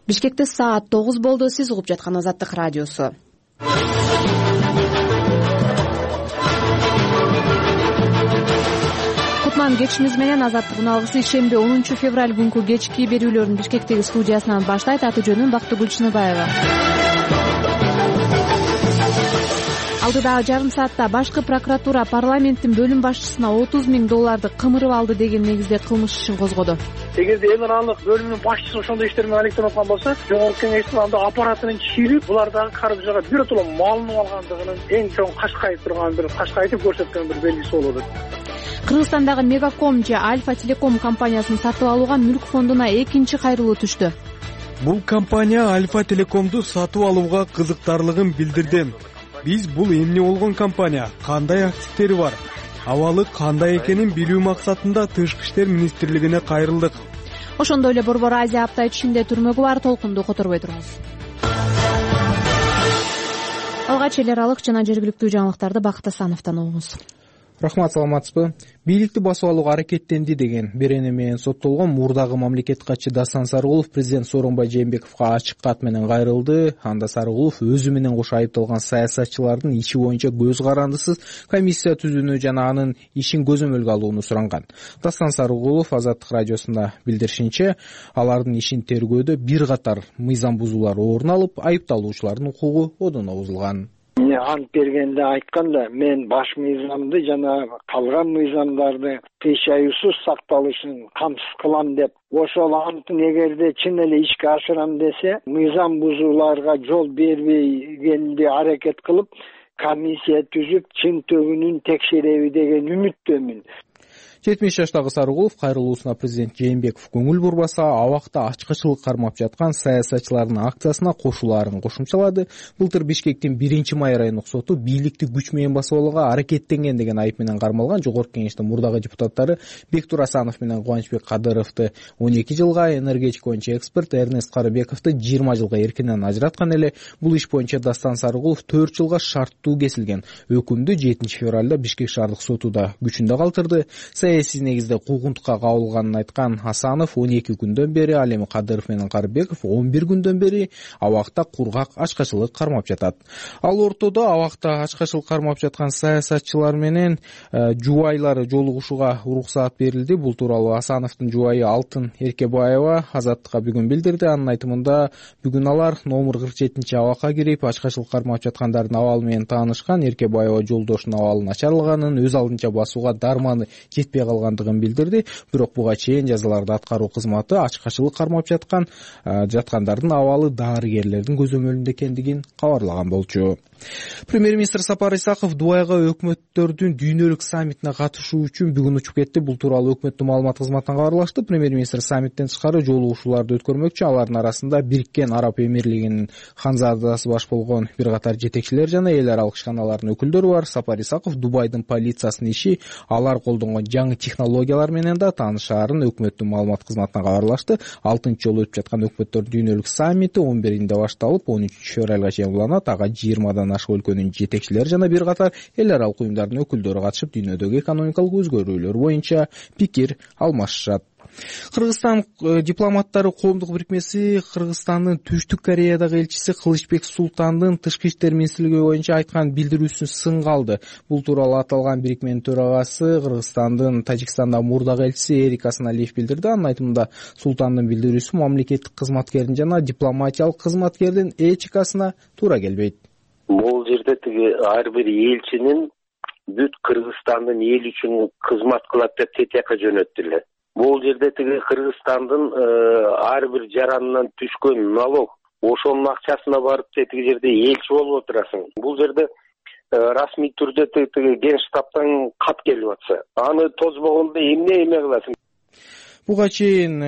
Бишкекте саат 9 болду. Сиз угуп жаткан Азаттык радиосу. Кутман кечишибиз менен Азаттыктын алгысы шемби 10 февраль күнкү кечки берүүлөрүн Бишкектеги студиясынан баштайт. Аты жөнүм Бактыгүл Чыныбаева. Алдыдагы жарым саатта башкы прокуратура парламенттин бөлүм башчысына $30 000 кымырып алды деген негизде кылмыш ишин козгоду. Эгерде эл аралык бөлүмүнүн башчысы ошондой иштерди менен алектенип аткан болсо, жогорку кеңештин анда аппаратынын чийлип, булардагы каржыга биротоло малынып алгандыгынын эң чоң кашкайып турган бир кашкайтып көрсөткөн бир белгиси болуп атат. Кыргызстандагы Мегаком же Альфа Телеком компаниясын сатып алууга Мүлк фондуна экинчи кайрылуу түштү. Бул компания Альфа Телекомду сатып алууга кызыктарлыгын билдирди. Биз бул эмне болгон компания, кандай активдери бар, абалы кандай экенин билүү максатында Тышкы иштер министрлигине кайрылдык. Ошондой эле Борбор Азия апта ичинде түрмөгү бар толкунду которбой туруңуз. Алгач эл аралык жана жергиликтүү жаңылыктарды Бакыт Асановдон угуңуз. Рахмат, саламатсызбы? Бийликти басып алууга аракеттенди деген берене менен соттолгон мурдагы мамлекет катчы Дастан Сарыгулов президент Сооронбай Жээнбековго ачык кат менен кайрылды. Анда Сарыгулов өзү менен кошо айыпталган саясатчылардын иши боюнча көз карандысыз комиссия түзүүнү жана анын ишин көзөмөлгө алууну суранган. Дастан Сарыгулов Азаттык радиосунда билдиришинче, алардын ишин тергөөдө бир катар мыйзам бузуулар орун алып, айыпталуучулардын укугу одоно бузулган. Ант бергенде айтканда, мен баш мыйзамды жана калган мыйзамдарды кыйшаюусуз сакталышын камсыз кылам деп, ошол антын эгерде чын эле ишке ашырам десе, мыйзам бузууларга жол бербегенди аракет кылып, комиссия түзүп, чын төгүнүн текшереби деген үмүттөмүн. 70 жаштагы Сарыгулов кайрылуусуна президент Жээнбеков көңүл бурбаса, абакта ачкычылык кармап жаткан саясатчылардын акциясына кошулаарын кошумчалады. Былтыр Бишкектин 1-май райондук соту бийликти күч менен басып алууга аракеттенген деген айып менен кармалган жогорку кеңештин мурдагы депутаттары Бектур Асанов менен Кубанычбек Кадыровду 12 жылга, энергетика боюнча эксперт Эрнест Карыбековду 20 жылга эркинен ажыраткан эле. Бул иш боюнча Дастан Сарыгулов 4 жылга шарттуу кесилген. Өкүмдү 7 февралда Бишкек шаардык соту да күчүндө калтырды. Саясий негизде куугунтукка кабылганын айткан Асанов 12 күндөн бери, ал эми Кадыров менен Карыбеков 11 күндөн бери абакта кургак ачкачылык кармап жатат. Ал ортодо абакта ачкачылык кармап жаткан саясатчылар менен жубайлары жолугушууга уруксаат берилди. Бул тууралуу Асановдун жубайы Алтын Эркебаева Азаттыкка бүгүн билдирди. Анын айтымында, бүгүн алар номер 47 абакка кирип, ачкачылык кармап жаткандардын абалы менен таанышкан. Эркебаева жолдошунун абалы начарлаганын, өз алдынча басууга дарманы жетпей калгандыгын билдирди. Бирок буга чейин жазаларды аткаруу кызматы ачкачылык кармап жаткандардын абалы дарыгерлердин көзөмөлүндө экендигин кабарлаган болчу. Премьер-министр Сапар Исаков Дубайга өкмөттөрдүн дүйнөлүк саммитине катышуу үчүн бүгүн учуп кетти. Бул тууралуу өкмөттүн маалымат кызматынан кабарлашты. Премьер-министр саммиттен тышкары жолугушууларды өткөрмөкчү. Алардын арасында Бириккен Араб Эмирлигинин ханзадасы баш болгон бир катар жетекчилер жана эл аралык ишканалардын өкүлдөрү бар. Сапар Исаков Дубайдын полициясынын иши, алар колдонгон жаңы технологиялар менен да таанышаарын өкмөттүн маалымат кызматынан кабарлашты. 6-жолу өтүп жаткан өкмөттөр дүйнөлүк саммити 11-инде башталып, 13 февралга чейин уланат. Ага 20 ашык өлкөнүн жетекчилери жана бир катар эл аралык уюмдардын өкүлдөрү катышып, дүйнөдөгү экономикалык өзгөрүүлөр боюнча пикир алмашышат. Кыргызстан дипломаттары коомдук бирикмеси Кыргызстандын Түштүк Кореядагы элчиси Кылычбек Султандын Тышкы иштер министрлиги боюнча айткан билдирүүсүн сынга алды. Бул тууралуу аталган бирикменин төрагасы Кыргызстандын Тажикстандагы мурдагы элчиси Эрик Асаналиев билдирди. Анын айтымында, Султандын билдирүүсү мамлекеттик кызматкердин жана дипломатиялык кызматкердин этикасына туура келбейт. Бул жерде ар бир элчинин бүт Кыргызстандын эл үчүн кызмат кылат деп тетияка жөнөттүлөр. Бул жерде Кыргызстандын ар бир жаранынан түшкөн налог, ошонун акчасына барып тетиги жерде элчи болуп отурасың. Бул жерде расмий түрдө Генштабтан кат келип атса, аны тозбогондо эмне кыласың? Буга чейин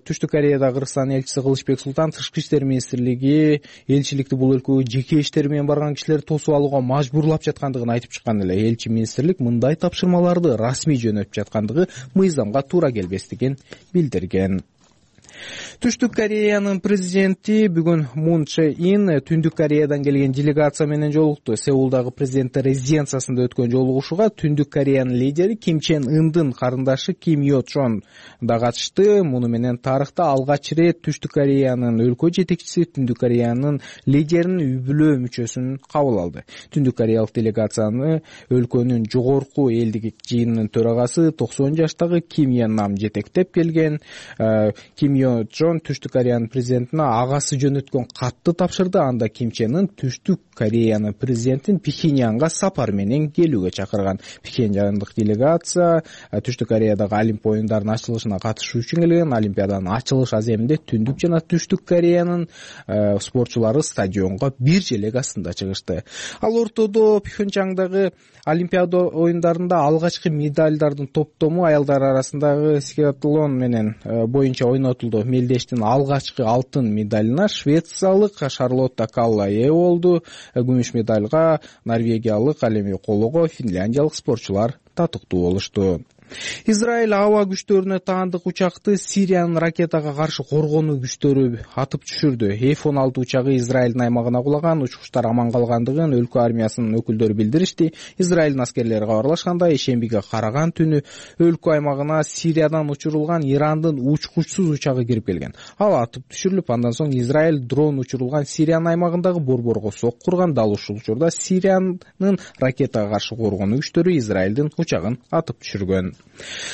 Түштүк Кореяда Кыргызстан элчиси Кылычбек Султан Тышкы иштер министрлиги элчиликти бул өлкөгө жеке иштери менен барган кишилерди тосуп алууга мажбурлап жаткандыгын айтып чыккан эле. Элчи министрлик мындай тапшырмаларды расмий жөнөтүп жаткандыгы мыйзамга туура келбестигин билдирген. Түштүк Кореянын президенти бүгүн Мун Чже Ин Түндүк Кореядан келген делегация менен жолукту. Сеулдагы президент резиденциясында өткөн жолугушууга Түндүк Кореянын лидери Ким Чен Ындын карындашы Ким Йо Чон да катышты. Муну менен тарыхта алгач рет Түштүк Кореянын өлкө жетекчиси Түндүк Кореянын лидеринин үй-бүлө мүчөсүн кабыл алды. Түндүк Кореялык делегацияны өлкөнүн жогорку элдик жыйынынын төрагасы 90 жаштагы Ким Йен Нам жетектеп келген. Ким Йо Чон Түштүк Кореянын президентине агасы жөнөткөн катты тапшырды. Анда Ким Чен Ын Түштүк Кореянын президентин Пхеньянга сапар менен келүүгө чакырган. Пхеньяндык делегация Түштүк Кореядагы Олимп оюндарынын ачылышына катышуу үчүн келген. Олимпиаданын ачылыш аземинде Түндүк жана Түштүк Кореянын спортчулары стадионго бир желек астында чыгышты. Ал ортодо Пхеньяндагы Олимпиада оюндарында алгачкы медалдардын топтому аялдар арасындагы скиатлон менен боюнча ойнотулду. Мелдештин алгачкы алтын медалына швециялык Шарлотта Калла ээ болду. Күмүш медалга норвегиялык Алеми Колого, финляндиялык спортчулар татыктуу болушту. Израиль аба күчтөрүнө таандык учакты Сириянын ракетага каршы коргонуу күчтөрү атып түшүрдү. F-16 учагы Израилдин аймагына кулаган, учкучтар аман калгандыгын өлкө армиясынын өкүлдөрү билдиришти. Израилдин аскерлери кабарлашкандай, ишембиге караган түнү өлкө аймагына Сириядан учурулган Ирандын учкучсуз учагы кирип келген. Ал атып түшүрүлүп, андан соң Израиль дрон учурулган Сириянын аймагындагы борборго сок курган. Дал ушул учурда Сириянын ракетага каршы коргонуу күчтөрү Израилдин учагын атып түшүргөн.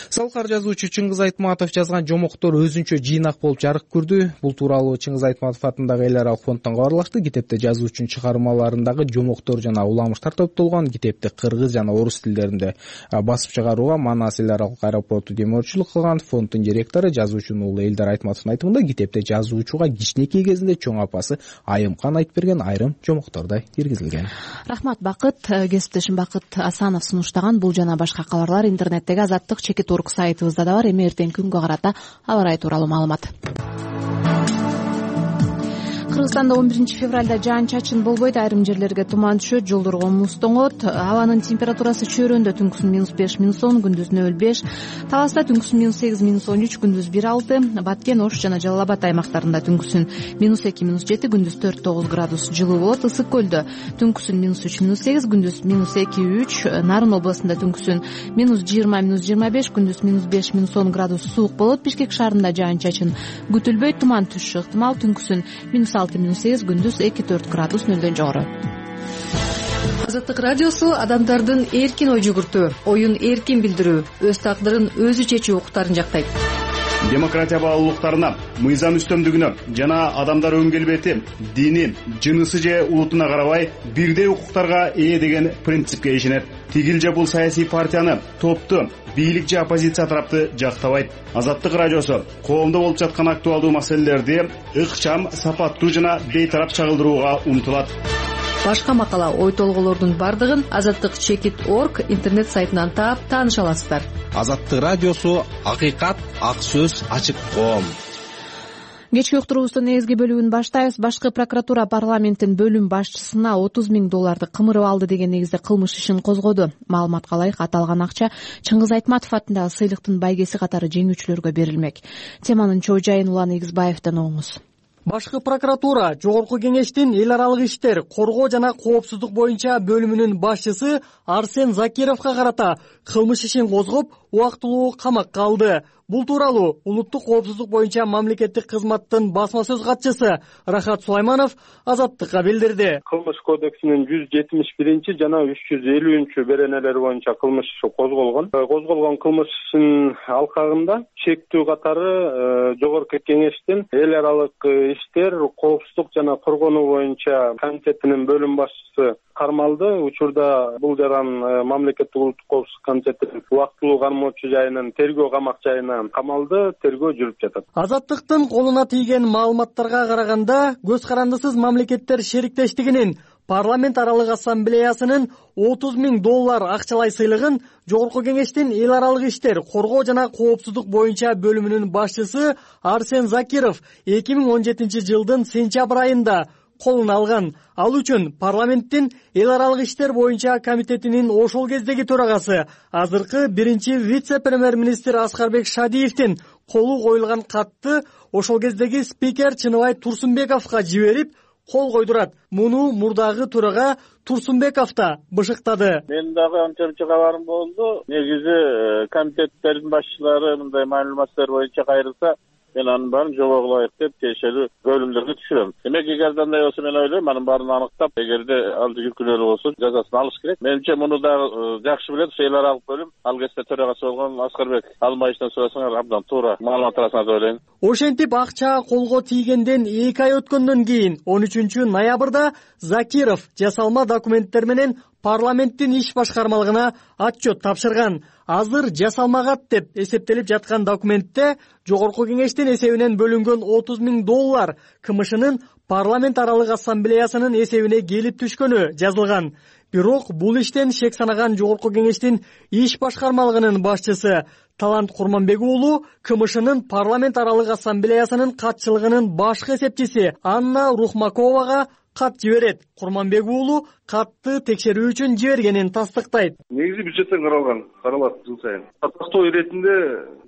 Салкар жазуучу Чыңгыз Айтматов жазган жомоктор өзүнчө жыйнак болуп жарык көрдү. Бул тууралуу Чыңгыз Айтматов атындагы эл аралык фонддон кабарлашты. Китепте жазуучунун чыгармаларындагы жомоктор жана уламыштар топтолгон. Китепти кыргыз жана орус тилдеринде басып чыгарууга Манас эл аралык аэропорту демөөрчүлүк кылган. Фонддун директору жазуучунун уулу Элдар Айтматовдун айтымында, китепте жазуучуга кичинекей кезинде чоң апасы Айымкан айтып берген айрым жомоктор да киргизилген. Рахмат Бакыт. Кесиптешим Бакыт Асанов сунуштаган бул жана башка кабарлар интернеттеги Азаттык чекит орг сайтыбызда да бар. Эми эртең күнгө карата аба ырайы тууралуу маалымат. Кыргызстанда 11-февралда жаан-чачын болбойт, айрым жерлерге туман түшөт, жолдорго муз тоңот. Абанын температурасы чөйрөндө түнкүсүн -5, -10, күндүз 0,5. Таласта түнкүсүн -8, -13, күндүз 1,6. Баткен, Ош жана Жалал Абад аймактарында түнкүсүн -2, -7, күндүз 4-9 градус жылуу болот. Ысык көлдө түнкүсүн -3, -8, күндүз -2, -3. Нарын областында түнкүсүн -20, -25, күндүз -5, -10 градус суук болот. Бишкек шаарында жаан-чачын күтүлбөйт, туман түшүшү ыктымал. Түнкүсүн -6, -8, күндүз 2-4 градус нөлдөн жогору. Азаттык радиосу адамдардын эркин ой жүгүртүү, оюн эркин билдирүү, өз тагдырын өзү чечүү укуктарын жактайт. Демократия баалуулуктарына, мыйзам үстөмдүгүнө жана адамдар өн келбети, дини, жынысы же улутуна карабай бирдей укуктарга ээ деген принципке ишенет. Тигил же бул саясий партияны, топту, бийлик же оппозиция тарапты жактабайт. Азаттык радиосу коомдо болуп жаткан актуалдуу маселелерди ыкчам, сапаттуу жана бейтарап чагылдырууга умтулат. Башка макала, ой толголордун бардыгын Азаттык чекит орг интернет сайтынан таап тааныша аласыздар. Азаттык радиосу акыйкат, ак сөз, ачык коом. Кечки уктуруубуздун негизги бөлүгүн баштайбыз. Башкы прокуратура парламенттин бөлүм башчысына 30 000 долларды кымырып алды деген негизде кылмыш ишин козгоду. Маалыматка ылайык, аталган акча Чыңгыз Айтматов атындагы сыйлыктын байгеси катары жеңүүчүлөргө берилмек. Теманын чоо жайын Улан Игизбаевден оңуңуз. Башкы прокуратура Жогорку кеңештин эл аралык иштер, коргоо жана коопсуздук боюнча бөлүмүнүн башчысы Арсен Закировго карата кылмыш ишин козгоп, убактылуу камакка алды. Бул тууралуу улуттук коопсуздук боюнча мамлекеттик кызматтын басма сөз катчысы Рахат Сулайманов Азаттыкка билдирди. Кылмыш кодексинин 171 жана 350 беренелери боюнча кылмыш иши козголгон. Козголгон кылмыш ишинин алкагында чектүү катары Жогорку кеңештин эл аралык иштер, коопсуздук жана коргонуу боюнча комитетинин бөлүм башчысы кармалды. Учурда бул жаран мамлекеттик улуттук коопсуздук комитетинин убактылуу кармоочу жайынын тергөө камак жайына камалды, тергөө жүрүп жатат. Азаттыктын колуна тийген маалыматтарга караганда, көз карандысыз мамлекеттер шериктештигинин парламент аралык ассамблеясынын 30 000 доллар акчалай сыйлыгын Жогорку кеңештин эл аралык иштер, коргоо жана коопсуздук боюнча бөлүмүнүн башчысы Арсен Закиров 2017 жылдын сентябрь айында колуна алган. Ал үчүн парламенттин эл аралык иштер боюнча комитетинин ошол кездеги төрагасы, азыркы биринчи вице-премьер-министр Аскарбек Шадиевдин колу коюлган катты ошол кездеги спикер Чыныбай Турсунбековго жиберип кол койдурат. Муну мурдагы төрага Турсунбеков да бышыктады. Мен дагы анча кабарым болду. Негизи комитеттердин башчылары мындай маалыматтар боюнча кайрылса, мен анын баарын жобого ылайык деп тиешелүү бөлүмдөргө түшүрөм. Демек, эгерде андай болсо, мен ойлойм, анын баарын аныктап, эгерде ал жүргүнөлүү болсо, жазасын алыш керек. Менимче, муну дагы жакшы билет эл аралык бөлүм. Ал кезде төрагасы болгон Аскарбек Алмаевден сурасаңар, абдан туура маалымат аласыңар деп ойлойм. Ошентип акча колго тийгенден 2 ай өткөндөн кийин 13 ноябрда Закиров жасалма документтер менен парламенттин иш башкармалыгына отчет тапшырган. Азыр жасалмагат деп эсептелип жаткан документте Жогорку кеңештин эсебинен бөлүнгөн $30,000 КМШнын парламент аралык ассамблеясынын эсебине келип түшкөнү жазылган. Бирок бул иштен шек санаган Жогорку кеңештин иш башкармалыгынын башчысы Талант Курманбек уулу КМШнын парламент аралык ассамблеясынын катчылыгынын башкы эсепчиси Анна Рухмаковага кат жиберет. Курманбек уулу катты текшерүү үчүн жибергенин тастыктайт. Негизи бюджеттен каралат жыл сайын. Тактоо иретинде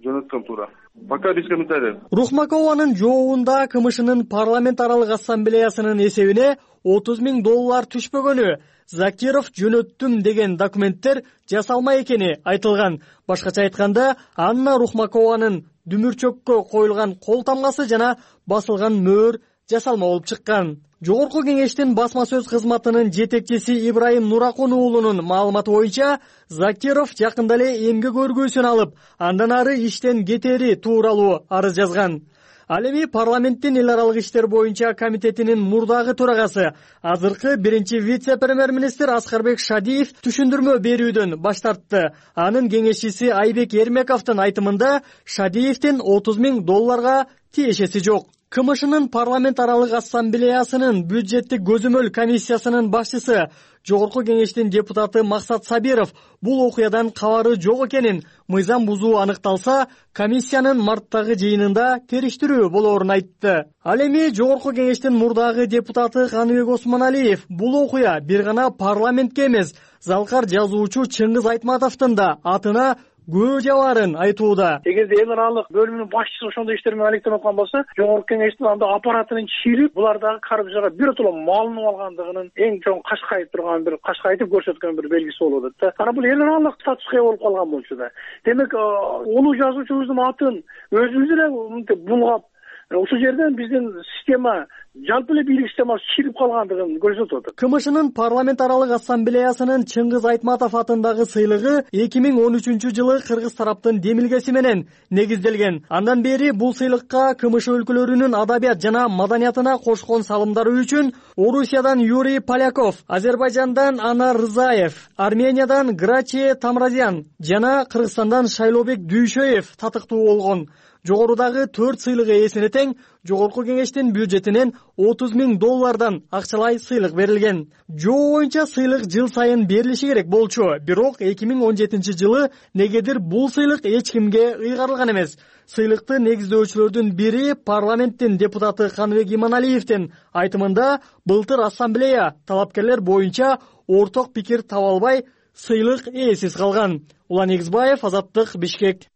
жөнөткөн туура. Пока без комментариев. Рухмакованын жообунда КМШнын парламент аралык ассамблеясынын эсебине $30,000 түшпөгөнү, Закиров жөнөттүм деген документтер жасалма экени айтылган. Башкача айтканда, Анна Рухмакованын дүмүрчөккө коюлган кол тамгасы жана басылган мөөр жасалма болуп чыккан. Жогорку кеңештин басма сөз кызматынын жетекчиси Ибрайым Нуракун уулунун маалыматы боюнча, Закиров жакында эле эмгек өргүүсүн алып, андан ары иштен кетери тууралуу арыз жазган. Ал эми парламенттин эл аралык иштер боюнча комитетинин мурдагы төрагасы, азыркы биринчи вице-премьер-министр Аскарбек Шадиев түшүндүрмө берүүдөн баш тартты. Анын кеңешчиси Айбек Эрмековдун айтымында Шадиевдин $30,000 тиешеси жок. КМШнын парламент аралык ассамблеясынын бюджеттик көзөмөл комиссиясынын башчысы, Жогорку кеңештин депутаты Максат Сабиров бул окуядан кабары жок экенин, мыйзам бузуу аныкталса, комиссиянын марттагы жыйынында териштирүү болоорун айтты. Ал эми Жогорку кеңештин мурдагы депутаты Каныбек Осмоналиев бул окуя бир гана парламентке эмес, залкар жазуучу Чыңгыз Айтматовдун да атына күбө жабаарын айтууда. Эгерде эл аралык бөлүмүнүн башчысы ошондой иштер менен алектенип аткан болсо, Жогорку кеңештин анда аппаратынын чирип, булардагы коррупцияга биротоло малынып алгандыгынын эң чоң кашкайып турган бир кашкайтып көрсөткөн бир белгиси болуп атат да. Анан бул эл аралык статуска ээ болуп калган болчу да. Демек, улуу жазуучубуздун атын өзүбүз эле мынтип булгап, ушул жерден биздин система, жалпы эле бийлик системасы чирип калгандыгын көрсөтүп атат. КМШнын парламент аралык ассамблеясынын Чыңгыз Айтматов атындагы сыйлыгы 2013-жылы кыргыз тараптын демилгеси менен негизделген. Андан бери бул сыйлыкка КМШ өлкөлөрүнүн адабият жана маданиятына кошкон салымдары үчүн Орусиядан Юрий Поляков, Азербайжандан Анар Рызаев, Армениядан Грачи Тамразян жана Кыргызстандан Шайлообек Дүйшөев татыктуу болгон. Жогорудагы 4 сыйлык ээсине тең Жогорку кеңештин бюджетинен $30,000 акчалай сыйлык берилген. Жоо боюнча сыйлык жыл сайын берилиши керек болчу, бирок 2017-жылы негедир бул сыйлык эч кимге ыйгарылган эмес. Сыйлыкты негиздөөчүлөрдүн бири парламенттин депутаты Каныбек Иманалиевдин айтымында, былтыр ассамблея талапкерлер боюнча орток пикир таба албай, сыйлык ээсиз калган. Улан Эгизбаев, Азаттык, Бишкек.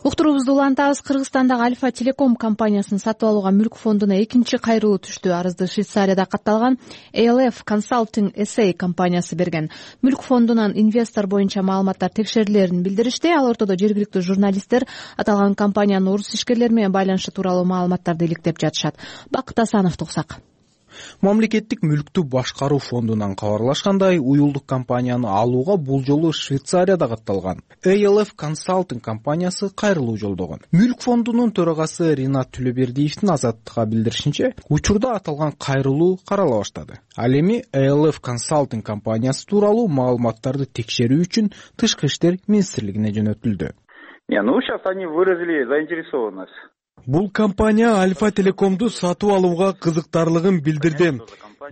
Уктуруубузду улантабыз. Кыргызстандагы Альфа Телеком компаниясын сатып алууга мүлк фондуна экинчи кайрылуу түштү. Арызды Швейцарияда катталган ALF Consulting SA компаниясы берген. Мүлк фондунан инвестор боюнча маалыматтар текшерилерин билдиришти. Ал ортодо жергиликтүү журналисттер аталган компаниянын орус ишкерлери менен байланышы тууралуу маалыматтарды иликтеп жатышат. Бакыт Асановду уксак. Мамлекеттик мүлктү башкаруу фондунан кабарлашкандай, уюлдук компанияны алууга бул жолу Швейцарияда катталган ALF Consulting компаниясы кайрылуу жолдогон. Мүлк фондунун төрагасы Ринат Түлөбердиевдин Азаттыкка билдиришинче, учурда аталган кайрылуу карала баштады. Ал эми ALF Consulting компаниясы тууралуу маалыматтарды текшерүү үчүн Тышкы иштер министрлигине жөнөтүлдү. Сейчас они выразили заинтересованность. Бул компания Альфа Телекомду сатып алууга кызыктарлыгын билдирди.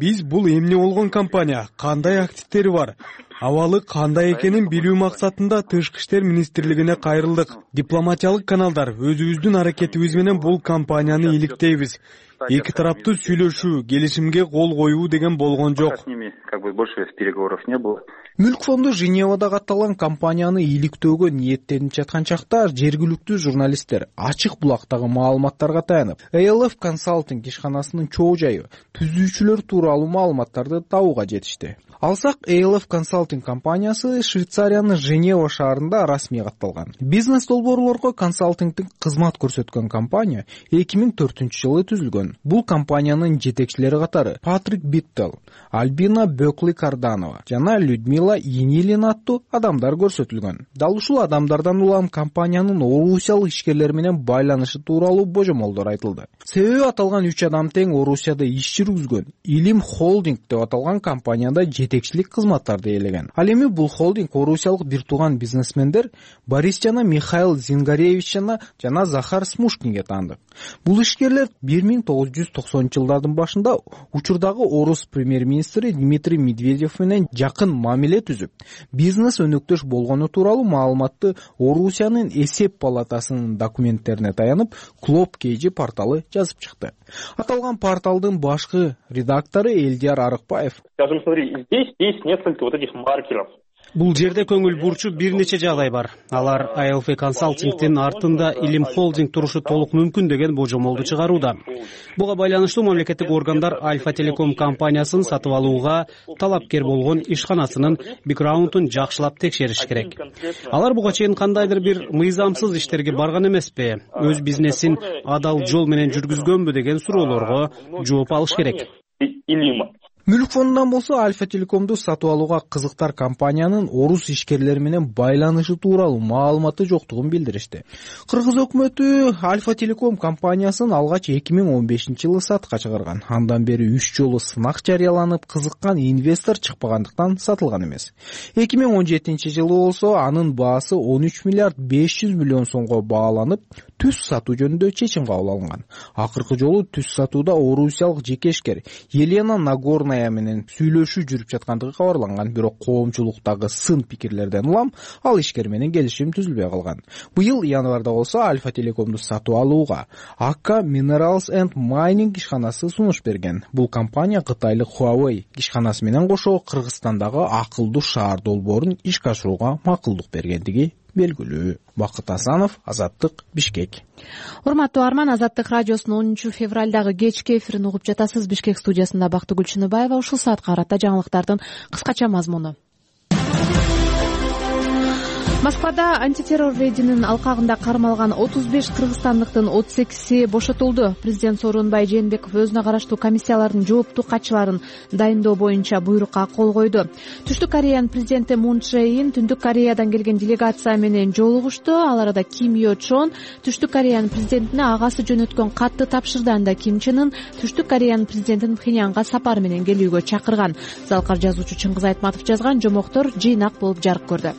Биз бул эмне болгон компания, кандай активдери бар? Абалы кандай экенин билүү максатында Тышкы иштер министрлигине кайрылдык. Дипломатиялык каналдар өзүбүздүн аракетибиз менен бул компанияны иликтейбиз. Эки тараптуу сүйлөшүү, келишимге кол коюу деген болгон жок. Больше переговоров не было. Мүлк фонду Женевада катталган компанияны иликтөөгө ниеттенип жаткан чакта жергиликтүү журналисттер ачык булактагы маалыматтарга таянып, ALF Consulting ишканасынын чоо жайы, түзүүчүлөр тууралуу маалыматтарды табууга жетишти. Алсак, ALF Consulting компаниясы Швейцариянын Женева шаарында расмий катталган. Бизнес долбоорлорго консалтингдик кызмат көрсөткөн компания 2004-жылы түзүлгөн. Бул компаниянын жетекчилери катары Патрик Биттел, Альбина Бөкли-Карданова жана Людмила Енилин аттуу адамдар көрсөтүлгөн. Дал ушул адамдардан улам компаниянын орусиялык ишкерлер менен байланышы тууралуу божомолдор айтылды. Себеби аталган 3 адам тең Орусияда иш жүргүзгөн Илим Холдинг деп аталган компанияда жетекчилик кызматтарды ээлеген. Ал эми бул холдинг орусиялык бир тууган бизнесмендер Борис жана Михаил Зингаревич жана Захар Смушкинге таандык. Бул ишкерлер 1990-жылдардын башында учурдагы орус премьер-министри Дмитрий Медведев менен жакын мамиле түзүп, бизнес өнөктөш болгону тууралуу маалыматты Орусиянын эсеп палатасынын документтерине таянып, Клоп Кейжи порталы жазып чыкты. Аталган порталдын башкы редактору Элдияр Арыкбаев: Скажем, смотри, здесь есть несколько вот этих маркеров. Бул жерде көңүл бурчу бир нече жагдай бар. Алар ALF Consulting'тин артында Илим Холдинг турушу толук мүмкүн деген божомолду чыгарууда. Буга байланыштуу мамлекеттик органдар Альфа Телеком компаниясын сатып алууга талапкер болгон ишканасынын бэкграундун жакшылап текшериш керек. Алар буга чейин кандайдыр бир мыйзамсыз иштерге барган эмеспи, өз бизнесин адал жол менен жүргүзгөнбү деген суроолорго жооп алыш керек. Мүлк фондунан болсо Альфа Телекомду сатып алууга кызыктар компаниянын орус ишкерлери менен байланышы тууралуу маалыматы жоктугун билдиришти. Кыргыз өкмөтү Альфа Телеком компаниясын алгач 2015-жылы сатка чыгарган. Андан бери 3 жолу сынак жарыяланып, кызыккан инвестор чыкпагандыктан сатылган эмес. 2017-жылы болсо анын баасы 13 миллиард 500 миллион сомго бааланып, түз сатуу жөнүндө чечим кабыл алынган. Акыркы жолу түз сатууда орусиялык жекешкер Елена Нагорная менен сүйлөшүү жүрүп жаткандыгы кабарланган, бирок коомчулуктагы сын пикирлерден улам ал ишкер менен келишим түзүлбөй калган. Быйыл январда болсо Альфа Телекомду сатып алууга Akka Minerals and Mining ишканасы сунуш берген. Бул компания кытайлык Huawei ишканасы менен кошо Кыргызстандагы акылдуу шаар долбоорун ишке ашырууга макулдук бергендиги белгилүү. Бакыт Асанов, Азаттык, Бишкек. Урматтуу Арман, Азаттык радиосунун 10 февралдагы кечки эфирин угуп жатасыз. Бишкек студиясында Бактыгүл Чыныбаева. Ушул саатка карата жаңылыктардын кыскача мазмуну. Москвада антитеррор рейдинин алкагында кармалган 35 кыргызстандыктын 38 бошотулду. Президент Сооронбай Жээнбеков өзүнө караштуу комиссиялардын жооптуу катчыларын дайындоо боюнча буйрукка кол койду. Түштүк Кореянын президенти Мун Чжэ Ин Түндүк Кореядан келген делегация менен жолугушту. Ал арада Ким Йо Чон Түштүк Кореянын президентине агасы жөнөткөн катты тапшырды. Анда Ким Чен Ын Түштүк Кореянын президентин Пхеньянга сапар менен келүүгө чакырган. Залкар жазуучу Чыңгыз Айтматов жазган жомоктор жыйнак болуп жарык көрдү.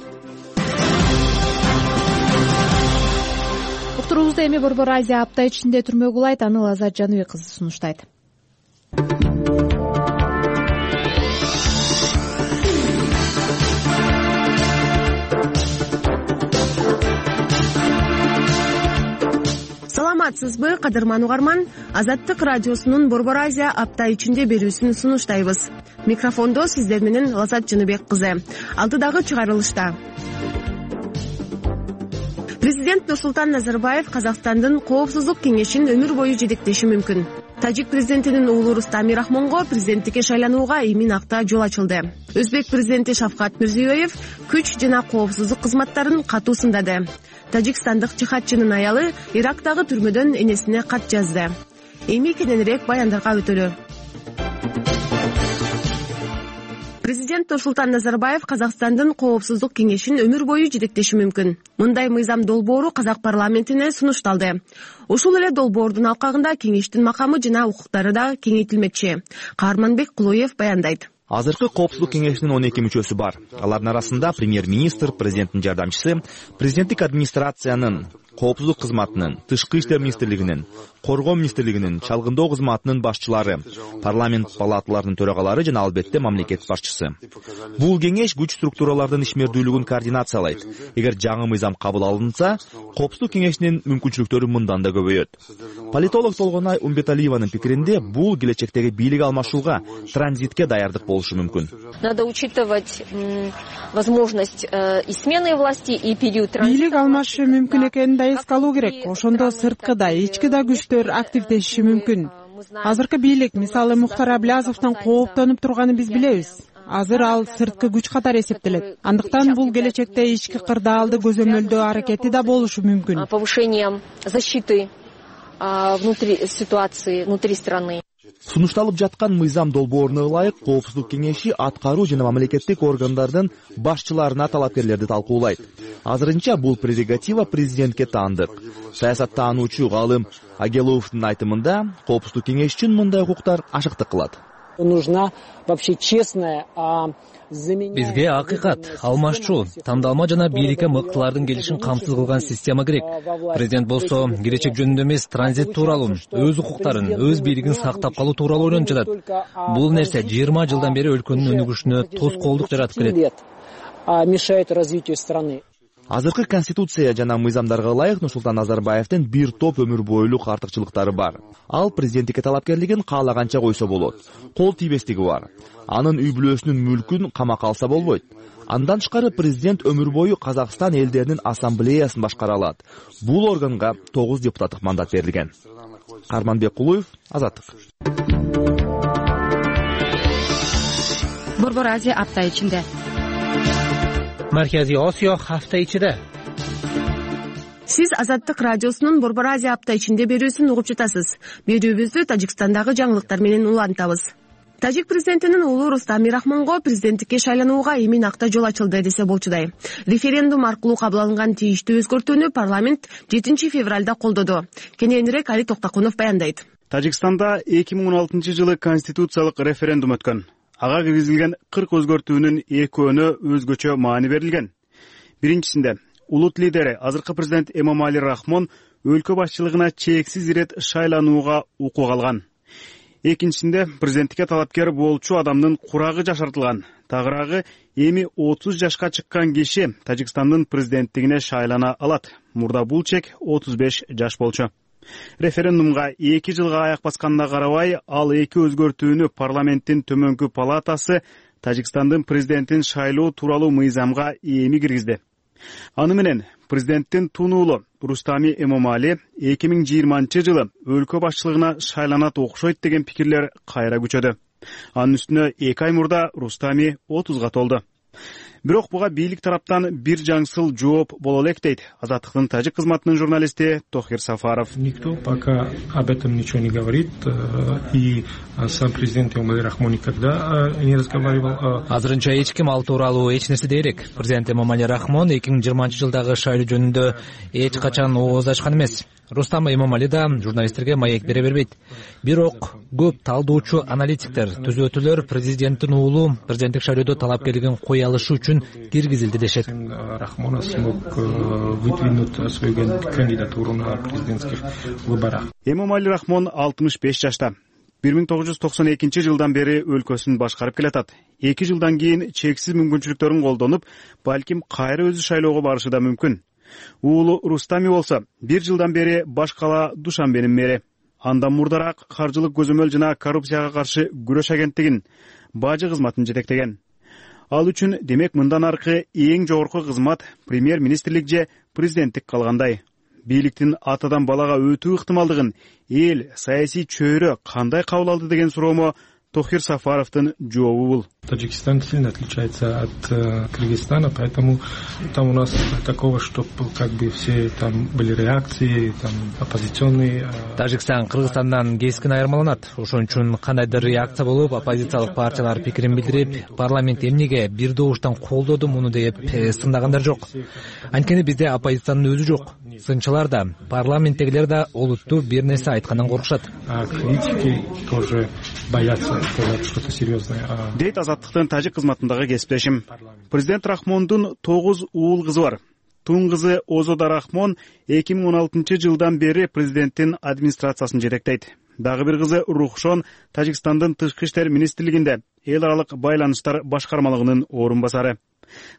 Уктуруубузда эми Борбор Азия апта ичинде түрмө кулайт. Аны Азат Жаныбек кызы сунуштайт. Саламатсызбы, кадырман угарман? Азаттык радиосунун Борбор Азия апта ичинде берүүсүн сунуштайбыз. Микрофондо сиздер менен Азат Жаныбек кызы. Алдыдагы чыгарылышта Президент Нурсултан Назарбаев Казакстандын Коопсуздук кеңешин өмүр бою жетектеши мүмкүн. Тажик президентинин уулу Рустам Мирахмонго президенттикке шайланууга эмин акта жол ачылды. Өзбек президенти Шавкат Мирзиёев күч жана коопсуздук кызматтарын катуу сындады. Тажикстандык жихадчынын аялы Ирактагы түрмөдөн энесине кат жазды. Эми кененирээк баяндарга өтөлү. Президент Нурсултан Назарбаев Казакстандын Коопсуздук кеңешин өмүр бою жетектеши мүмкүн. Мындай мыйзам долбоору Казак парламентине сунушталды. Ушул эле долбоордун алкагында кеңештин макамы жана укуктары да кеңейтилмекчи. Каарманбек Кулуев баяндайт. Азыркы Коопсуздук кеңешинин 12 мүчөсү бар. Алардын арасында премьер-министр, президенттин жардамчысы, президенттик администрациянын, коопсуздук кызматынын, тышкы иштер министрлигинин, коргоо министрлигинин, чалгындоо кызматынын башчылары, парламент палаталарынын төрагалары жана албетте мамлекет башчысы. Бул кеңеш күч структуралардын ишмердүүлүгүн координациялайт. Эгер жаңы мыйзам кабыл алынса, Коопсуздук кеңешинин мүмкүнчүлүктөрү мындан да көбөйөт. Политолог Толгонай Умбеталиеванын пикиринде, бул келечектеги бийлик алмашууга, транзитке даярдык болушу мүмкүн. Надо учитывать возможность и смены власти, и период транзита. Бийлик алмашышы мүмкүн экенин да эске алуу керек. Ошондо сырткы да, ички да күчтөр активдешиши мүмкүн. Азыркы бийлик, мисалы Мухтар Аблязовдон кооптонуп турганын биз билебиз. Азыр ал сырткы күч катары эсептелет. Андыктан бул келечекте ички кырдаалды көзөмөлдөө аракети да болушу мүмкүн. Повышением защиты внутри ситуации, внутри страны. Сунушталып жаткан мыйзам долбооруна ылайык Коопсуздук кеңеши аткаруу жана мамлекеттик органдардын башчыларына талапкерлерди талкуулайт. Азырынча бул прерогатива президентке таандык. Саясаттануучу Галым Агеловдун айтымында, Коопсуздук кеңеш үчүн мындай укуктар ашыктык кылат. Нужна вообще честная, бизге акыйкат, алмашчу, тандалма жана бийликке мыктылардын келишин камсыз кылган система керек. Президент болсо келечек жөнүндө эмес, транзит тууралуу, өз укуктарын, өз бийлигин сактап калуу тууралуу ойлонуп жатат. Бул нерсе 20 жылдан бери өлкөнүн өнүгүшүнө тоскоолдук жаратып келет. Мешает развитию страны. Азыркы конституция жана мыйзамдарга ылайык Нурсултан Назарбаевдин бир топ өмүр бойлук артыкчылыктары бар. Ал президенттикке талапкерлигин каалаганча койсо болот. Кол тийбестиги бар. Анын үй бүлөсүнүн мүлкүн камакка алса болбойт. Андан тышкары президент өмүр бою Казакстан элдеринин ассамблеясын башкара алат. Бул органга 9 депутаттык мандат берилген. Арманбек Кулуев, Азаттык. Борбор Азия апта ичинде. Марказий Осиё hafta ichida. Сиз Азаттык радиосунун Борбор Азия апта ичинде берүүсүн угуп жатасыз. Берүүбүздү Тажикстандагы жаңылыктар менен улантабыз. Тажик президентинин уулу Рустам Мирахмонго президенттикке шайланууга эмин акта жол ачылды десе болчудай. Референдум аркылуу кабыл алынган тийиштүү өзгөртүүнү парламент 7 февралда колдоду. Кененирээк Али Токтокунов баяндайт. Тажикстанда 2016 жылы конституциялык референдум өткөн. Ага киргизилген 40 өзгөртүүнүн экөөнө өзгөчө маани берилген. Биринчисинде улут лидери азыркы президент Эмомали Рахмон өлкө башчылыгына чексиз ирет шайланууга укук алган. Экинчисинде президенттикке талапкер болчу адамдын курагы жашартылган. Тагыраагы эми 30 жашка чыккан киши Тажикстандын президенттигине шайлана алат. Мурда бул чек 35 жаш болчу. Референдумга 2 жылга аяк басканына карабай, ал 2 өзгөртүүнү парламенттин төмөнкү палатасы Тажикстандын президентин шайлоо тууралуу мыйзамга эми киргизди. Аны менен президенттин тунуулу Рустами Эмомали 2020 жылы өлкө башчылыгына шайланат окшойт деген пикирлер кайра күчөдү. Анын үстүнө 2 ай мурда Рустами 30га толду. Бирок буга бийлик тараптан бир жаңсыл жооп боло элек дейт Азаттыктын тажик кызматынын журналисти Тохир Сафаров. Никто пока об этом ничего не говорит, и сам президент Эмомали Рахмон никогда не разговаривал. Азырынча эч ким ал тууралуу эч нерсе дей элек. Президент Эмомали Рахмон 2020 жылдагы шайлоо жөнүндө эч качан ооз ачкан эмес. Рустам Эмомали да журналисттерге маек бере бербейт. Бирок көп талдоочу аналитиктер, түзөтүүлөр президенттин уулу президенттик шайлоодо талапкерлигин кое алышы үчүн киргизилди дешет. Рахмон смог выдвинуть свою кандидатуру на президентских выборах. Эмомали Рахмон 65 жашта. 1992 жылдан бери өлкөсүн башкарып келатат. 2 жылдан кийин чексиз мүмкүнчүлүктөрүн колдонуп, балким кайра өзү шайлоого барышы да мүмкүн. Уулу Рустами болсо 1 жылдан бери баш кала Душанбенин мэри. Андан мурдараак каржылык көзөмөл жана коррупцияга каршы күрөш агенттигин бажы кызматын жетектеген. Ал үчүн демек мындан аркы эң жогорку кызмат премьер-министрлик же президенттик калгандай. Бийликтин атадан балага өтүү ыктымалдыгын эл саясий чөйрө кандай кабыл алды деген суроомо Тохир Сафаровдун жообу бул. Таджикистан сильно отличается от Кыргызстана, поэтому там у нас такого, что как бы все там были реакции, там оппозиционные. Тажикстан Кыргызстандан кескин айырмаланат. Ошон үчүн кандайдыр реакция болуп, оппозициялык партиялар пикирин билдирип, парламент эмнеге бир добуштан колдоду муну деп сындагандар жок. Анткени бизде оппозициянын өзү жок. Сынчылар да, парламенттегилер да олуттуу бир нерсе айткандан коркушат. Критики тоже боятся сказать что-то серьезное. Дейт Азаттыктын тажик кызматындагы кесиптешим. Президент Рахмондун 9 уул кызы бар. тун кызы Озода Рахмон 2016-жылдан бери президенттин администрациясын жетектейт. Дагы бир кызы Рухшон Тажикстандын тышкы иштер министрлигинде эл аралык байланыштар башкармалыгынын орун басары.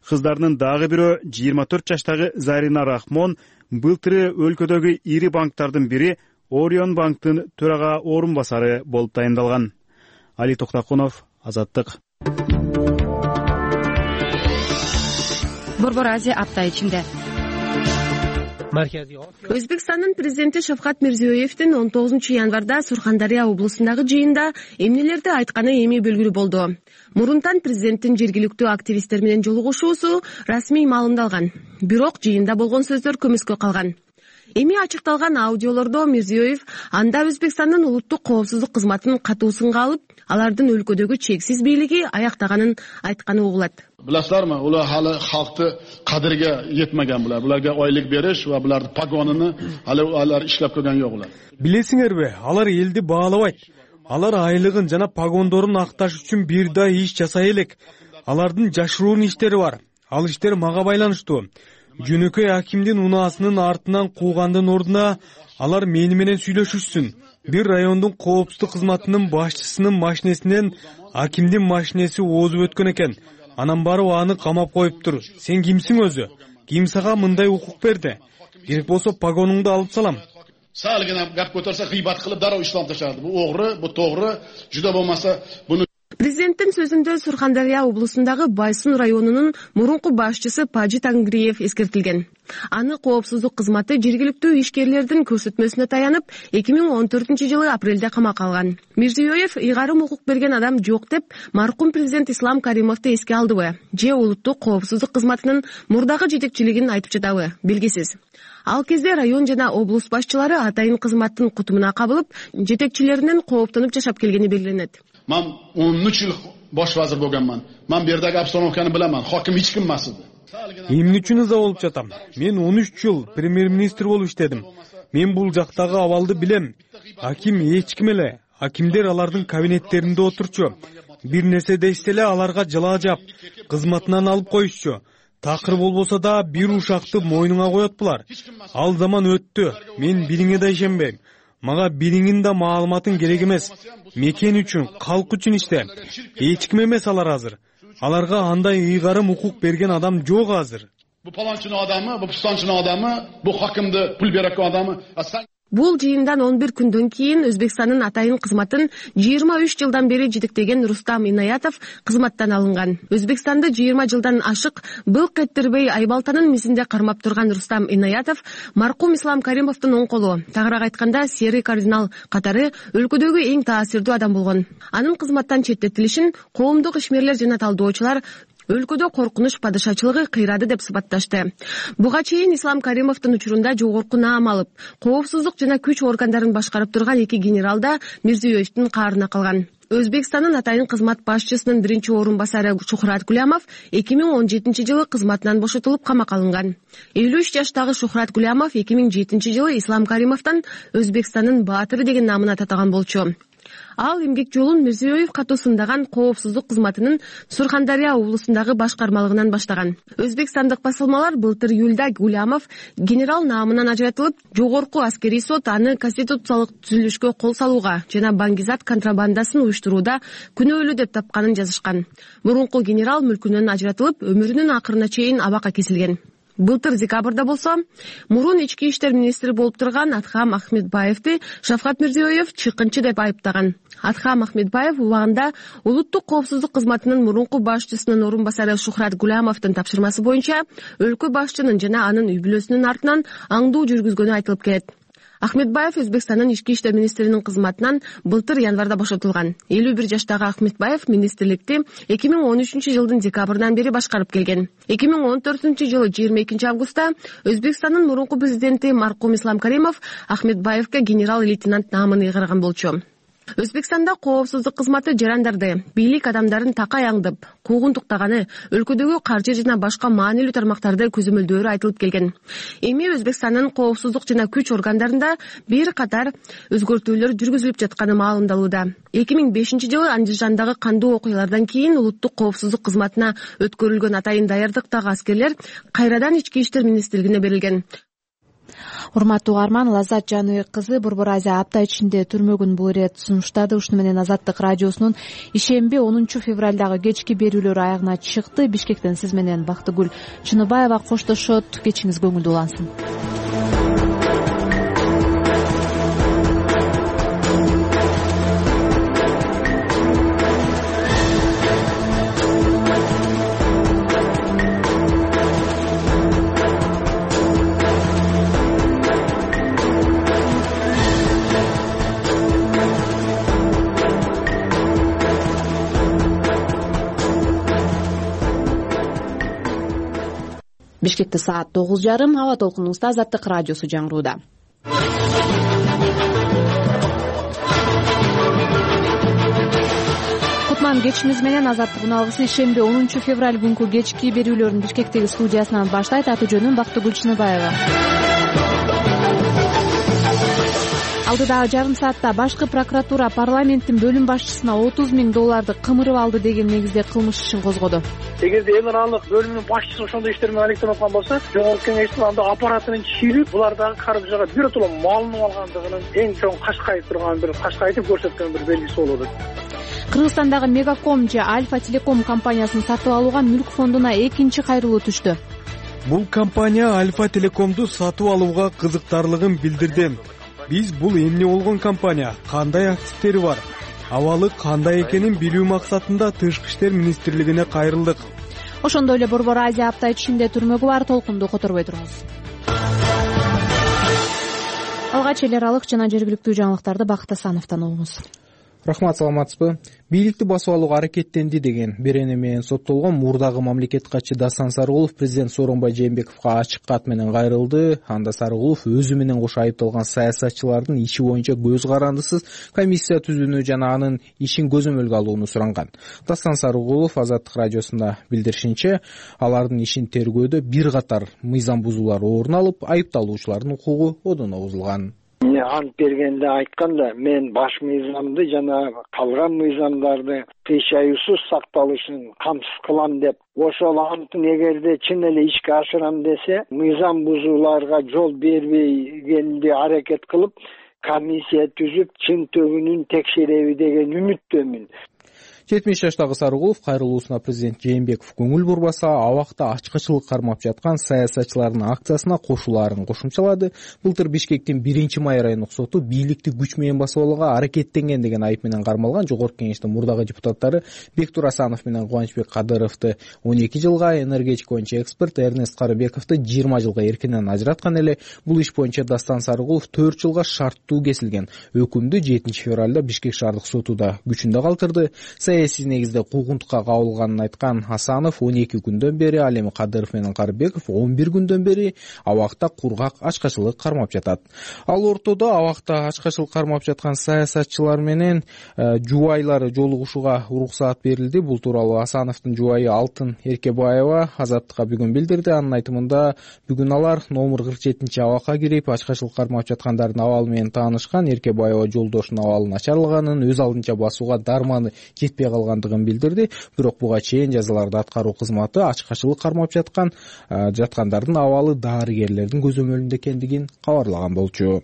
Кыздарынын дагы бирөө 24 жаштагы Зарина Рахмон былтыры өлкөдөгү ири банктардын бири Орион банктын төрага орун басары болуп тайындалган. Али Токтакунов, Азаттык. Борбор Азия апта ичинде. Өзбекстандын президенти Шавкат Мирзиёевдин 19-январда Сурхандария облусундагы жыйында эмнелерди айтканы эми белгилүү болду. Мурунтан президенттин жергиликтүү активисттер менен жолугушуусу расмий маалымдалган. Бирок жыйында болгон сөздөр көмүскө калган. Эми ачыкталган аудиолордо Мирзиёев анда Өзбекстандын улуттук коопсуздук кызматынын катуу сынга алып, алардын өлкөдөгү чексиз бийлиги аяктаганын айтканы угулат. Bilasizlarmi, ular hali xalqni qadriga yetmagan bular. Bularga oylik berish va bularning pagonini hali ular ishlab ko'rgan yo'q ular. Билесиңерби, алар элди баалабайт. Алар айлыгын жана погондорун акташ үчүн бир да иш жасай элек. Алардын жашыруун иштери бар. Ал иштер мага байланыштуу. Жөнөкөй акимдин унаасынын артынан куугандын ордуна алар мени менен сүйлөшүшсүн. Бир райондун коопсуздук кызматынын башчысынын машинесинен акимдин машинеси озуп өткөн экен. Анан барып аны камап коюптур. Сен кимсиң өзү? Ким сага мындай укук берди? Керек болсо погонуңду алып салам. Салгына гап көтөрсө гыйбат кылып дароо ислам ташады. Бу огры, бу тогры, жуда болмаса буну. Президенттин сөзүндө Сурхандария облусундагы Байсун районунун мурунку башчысы Паджи Тангриев эскертилген. Аны коопсуздук кызматы жергиликтүү ишкерлердин көрсөтмөсүнө таянып, 2014-жылы апрелде камакка алган. Мирзиёев ыйгарым укук берген адам жок деп маркум президент Ислам Каримовду эске алдыбы? Же улуттук коопсуздук кызматынын мурдагы жетекчилигин айтып жатабы? Белгисиз. Ал кезде район жана облус башчылары атайын кызматтын кутумуна кабылып, жетекчилеринен кооптонуп жашап келгени белгиленет. Мен 13 жыл бош вазир болгонман. Мен бердеги обстановканы биламан. Хаким эч ким эмес эди. Эмне үчүн ыза болуп жатам? Мен 13 жыл премьер-министр болуп иштедим. Мен бул жактагы абалды билем. Аким эч ким эле. Акимдер алардын кабинеттеринде отурчу. Бир нерсе дешсе эле аларга жылаа жап, кызматынан алып коюшчу. Такыр болбосо да бир ушакты мойнуңа коет булар. Ал заман өттү. Мен бириңе да ишенбейм. Мага бириңин да маалыматың керек эмес. Мекен үчүн, калк үчүн иште. Эч ким эмес алар азыр. Аларга андай ыйгарым укук берген адам жок азыр. Бу паланчынын адамы, бу пустанчынын адамы, бу хакимди пул берген адамы. Бул жыйындан 11 күндөн кийин Өзбекстандын атайын кызматын 23 жылдан бери жетектеген Рустам Инаятов кызматтан алынган. Өзбекстанды 20 жылдан ашык былк эттирбей Айбалтанын мизинде кармап турган Рустам Инаятов маркум Ислам Каримовдун оң колу, тагыраак айтканда серый кардинал катары өлкөдөгү эң таасирдүү адам болгон. Анын кызматтан четтетилишин коомдук ишмерлер жана талдоочулар өлкөдө коркунуч падышачылыгы кыйрады деп сыпатташты. Буга чейин Ислам Каримовдун учурунда жогорку наам алып, коопсуздук жана күч органдарын башкарып турган 2 генерал да Мирзиёевдин каарына калган. Өзбекстандын атайын кызмат башчысынын биринчи орун басары Шухрат Гулямов 2017-жылы кызматынан бошотулуп камакка алынган. 53 жаштагы Шухрат Гулямов 2007-жылы Ислам Каримовдон Өзбекстандын баатыры деген намына татаган болчу. Ал эмгек жолун Мирзиёев катуусундаган коопсуздук кызматынын Сурхандария облусундагы башкармалыгынан баштаган. Өзбекстандык басылмалар былтыр июлда Гулямов генерал наамынан ажыратылып, жогорку аскерий сот аны конституциялык түзүлүшкө кол салууга жана баңгизат контрабандасын уюштурууда күнөөлүү деп тапканын жазышкан. Мурунку генерал мүлкүнөн ажыратылып, өмүрүнүн акырына чейин абакка кесилген. Былтыр декабрда болсо, мурун ички иштер министри болуп турган Адхам Ахмедбаевди Шавкат Мирзиёев чыккынчы деп айыптаган. Адхам Ахмедбаев убагында улуттук коопсуздук кызматынын мурунку башчысынын орун басары Шухрат Гулямовдун тапшырмасы боюнча өлкө башчынын жана анын үй бүлөсүнүн артынан аңдуу жүргүзгөнү айтылып келет. Ахмедбаев Өзбекстандын ички иштер министринин кызматынан былтыр январда бошотулган. 51 жаштагы Ахмедбаев министрликти 2013-жылдын декабрынан бери башкарып келген. 2014-жылы 22 августта Өзбекстандын мурунку президенти маркум Ислам Каримов Ахмедбаевге генерал-лейтенант наамын ыйгарган болчу. Өзбекстанда коопсуздук кызматы жарандарды бийлик адамдарын такай аңдып куугунтуктаганы, өлкөдөгү каржы жана башка маанилүү тармактарды көзөмөлдөөрү айтылып келген. Эми Өзбекстандын коопсуздук жана күч органдарында бир катар өзгөртүүлөр жүргүзүлүп жатканы маалымдалууда. 2005-жылы Андижандагы кандуу окуялардан кийин улуттук коопсуздук кызматына өткөрүлгөн атайын даярдыктагы аскерлер кайрадан ички иштер министрлигине берилген. Урматтуу угарман, Лаззат Жаныбек кызы Борбор Азия апта ичинде түрмөгүн бул ирет сунуштады. Ушуну менен Азаттык радиосунун ишемби 10 февралдагы кечки берүүлөрү аягына чыкты. Бишкектен сиз менен Бактыгүл Чыныбаева коштошот. Кечиңиз көңүлдүү улансын. Бишкекте саат 9:30. Аба толкунубузда Азаттык радиосу жаңырууда. Кутман кечиңиз менен Азаттыктын алгысы ишемби 10 февраль күнкү кечки берүүлөрүн Бишкектеги студиясынан баштайт. Аты жөнүм Бактыгүл Чыныбаева. Алдыдагы жарым саатта башкы прокуратура парламенттин бөлүм башчысына $30,000 кымырып алды деген негизде кылмыш ишин козгоду. Эгерде эл аралык бөлүмүнүн башчысы ошондой иштермен алектенип аткан болсо, жогорку кеңештин анда аппаратынын чийилип, булар дагы каржыга биротоло малынып алгандыгынын эң чоң кашкайып турган бир кашкайтып көрсөткөн бир белгиси болот. Кыргызстандагы Мегаком же Альфа Телеком компаниясын сатып алууга мүлк фондуна экинчи кайрылуу түштү. Бул компания Альфа Телекомду сатып алууга кызыктарлыгын билдирди. Биз бул эмне болгон компания, кандай активдери бар, абалы кандай экенин билүү максатында Тышкы иштер министрлигине кайрылдык. Ошондой эле Борбор Азия апта ичинде түрмөгү бар. Толкунду которбой туруңуз. Алгач эл аралык жана жергиликтүү жаңылыктарды Бакыт Асановдон угуңуз. Рахмат, саламатсызбы? Бийликти басып алууга аракеттенди деген берене менен соттолгон мурдагы мамлекет катчы Дастан Сарыгулов президент Сооронбай Жээнбековго ачык кат менен кайрылды. Анда Сарыгулов өзү менен кошо айыпталган саясатчылардын иши боюнча көз карандысыз комиссия түзүүнү жана анын ишин көзөмөлгө алууну суранган. Дастан Сарыгулов Азаттык радиосунда билдиришинче, алардын ишин тергөөдө бир катар мыйзам бузуулар орун алып, айыпталуучулардын укугу одоно бузулган. Ант бергенде айтканда, мен баш мыйзамды жана калган мыйзамдарды кыйшаюусуз сакталышын камсыз кылам деп, ошол антын эгерде чын эле ишке ашырам десе, мыйзам бузууларга жол бербегенди аракет кылып, комиссия түзүп, чын түбүнүн текшереби деген үмүттөмүн. 70 жаштагы Сарыгулов кайрылуусуна президент Жээнбеков көңүл бурбаса, абакта ачкычылык кармап жаткан саясатчылардын акциясына кошулаарын кошумчалады. Былтыр Бишкектин 1-май райондук соту бийликти күч менен басып алууга аракеттенген деген айып менен кармалган жогорку кеңештин мурдагы депутаттары Бектур Асанов менен Кубанычбек Кадыровду 12 жылга, энергетика боюнча эксперт Эрнест Карыбековду 20 жылга эркинен ажыраткан эле. Бул иш боюнча Дастан Сарыгулов 4 жылга шарттуу кесилген өкүмдү 7 февралда Бишкек шаардык соту да күчүндө калтырды. Саясий негизде куугунтукка кабылганын айткан Асанов 12 күндөн бери, ал эми Кадыров менен Карыбеков 11 күндөн бери абакта кургак ачкачылык кармап жатат. Ал ортодо абакта ачкачылык кармап жаткан саясатчылар менен жубайлары жолугушууга уруксаат берилди. Бул тууралуу Асановдун жубайы Алтын Эркебаева Азаттыкка бүгүн билдирди. Анын айтымында, бүгүн алар номер 47 абакка кирип, ачкачылык кармап жаткандардын абалы менен таанышкан. Эркебаева жолдошунун абалы начарлаганын, өз алдынча басууга дарманы жетпей калгандыгын билдирди. Бирок буга чейин жазаларды аткаруу кызматы ачкачылык кармап жаткандардын абалы дарыгерлердин көзөмөлүндө экендигин кабарлаган болчу.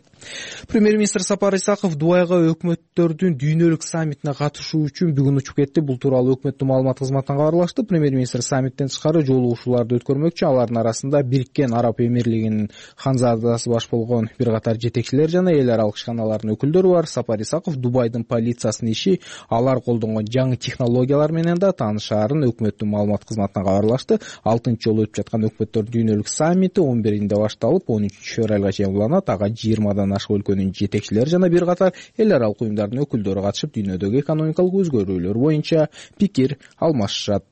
Премьер-министр Сапар Исаков Дубайга өкмөттөрдүн дүйнөлүк саммитине катышуу үчүн бүгүн учуп кетти. Бул тууралуу өкмөттүн маалымат кызматынан кабарлашты. Премьер-министр саммиттен тышкары жолугушууларды өткөрмөкчү. Алардын арасында Бириккен Араб Эмирлигинин ханзадасы баш болгон бир катар жетекчилер жана эл аралык ишканалардын өкүлдөрү бар. Сапар Исаков Дубайдын полициясынын иши, алар колдонгон жаңы технологиялар менен да таанышаарын өкмөттүн маалымат кызматынан кабарлашты. 6-чы жолу өтүп жаткан өкмөттөрдүн дүйнөлүк саммити 11-инде башталып, 13 февралга чейин уланат. Ага 20 ашык өлкөнүн жетекчилери жана бир катар эл аралык уюмдардын өкүлдөрү катышып, дүйнөдөгү экономикалык өзгөрүүлөр боюнча пикир алмашышат.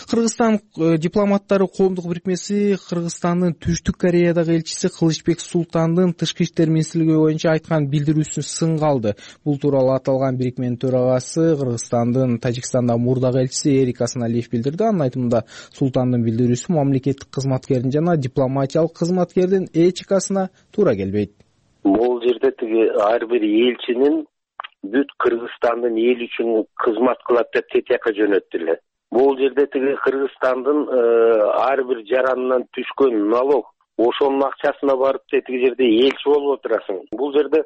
Кыргызстан дипломаттары коомдук бирикмеси Кыргызстандын Түштүк Кореядагы элчиси Кылычбек Султандын тышкы иштер министрлиги боюнча айткан билдирүүсүн сынга алды. Бул тууралуу аталган бирикменин төрагасы Кыргызстандын Тажикстандагы мурдагы элчиси Эрик Асаналиев билдирди. Анын айтымында Султандын билдирүүсү мамлекеттик кызматкердин жана дипломатиялык кызматкердин этикасына туура келбейт. Бул жерде тиги ар бир элчинин бүт Кыргызстандын эл үчүн кызмат кылат деп тетияка жөнөттүлөр. Бул жерде тиги Кыргызстандын ар бир жаранынан түшкөн налог ошонун акчасына барып тиги жерде элчи болуп отурасың. Бул жерде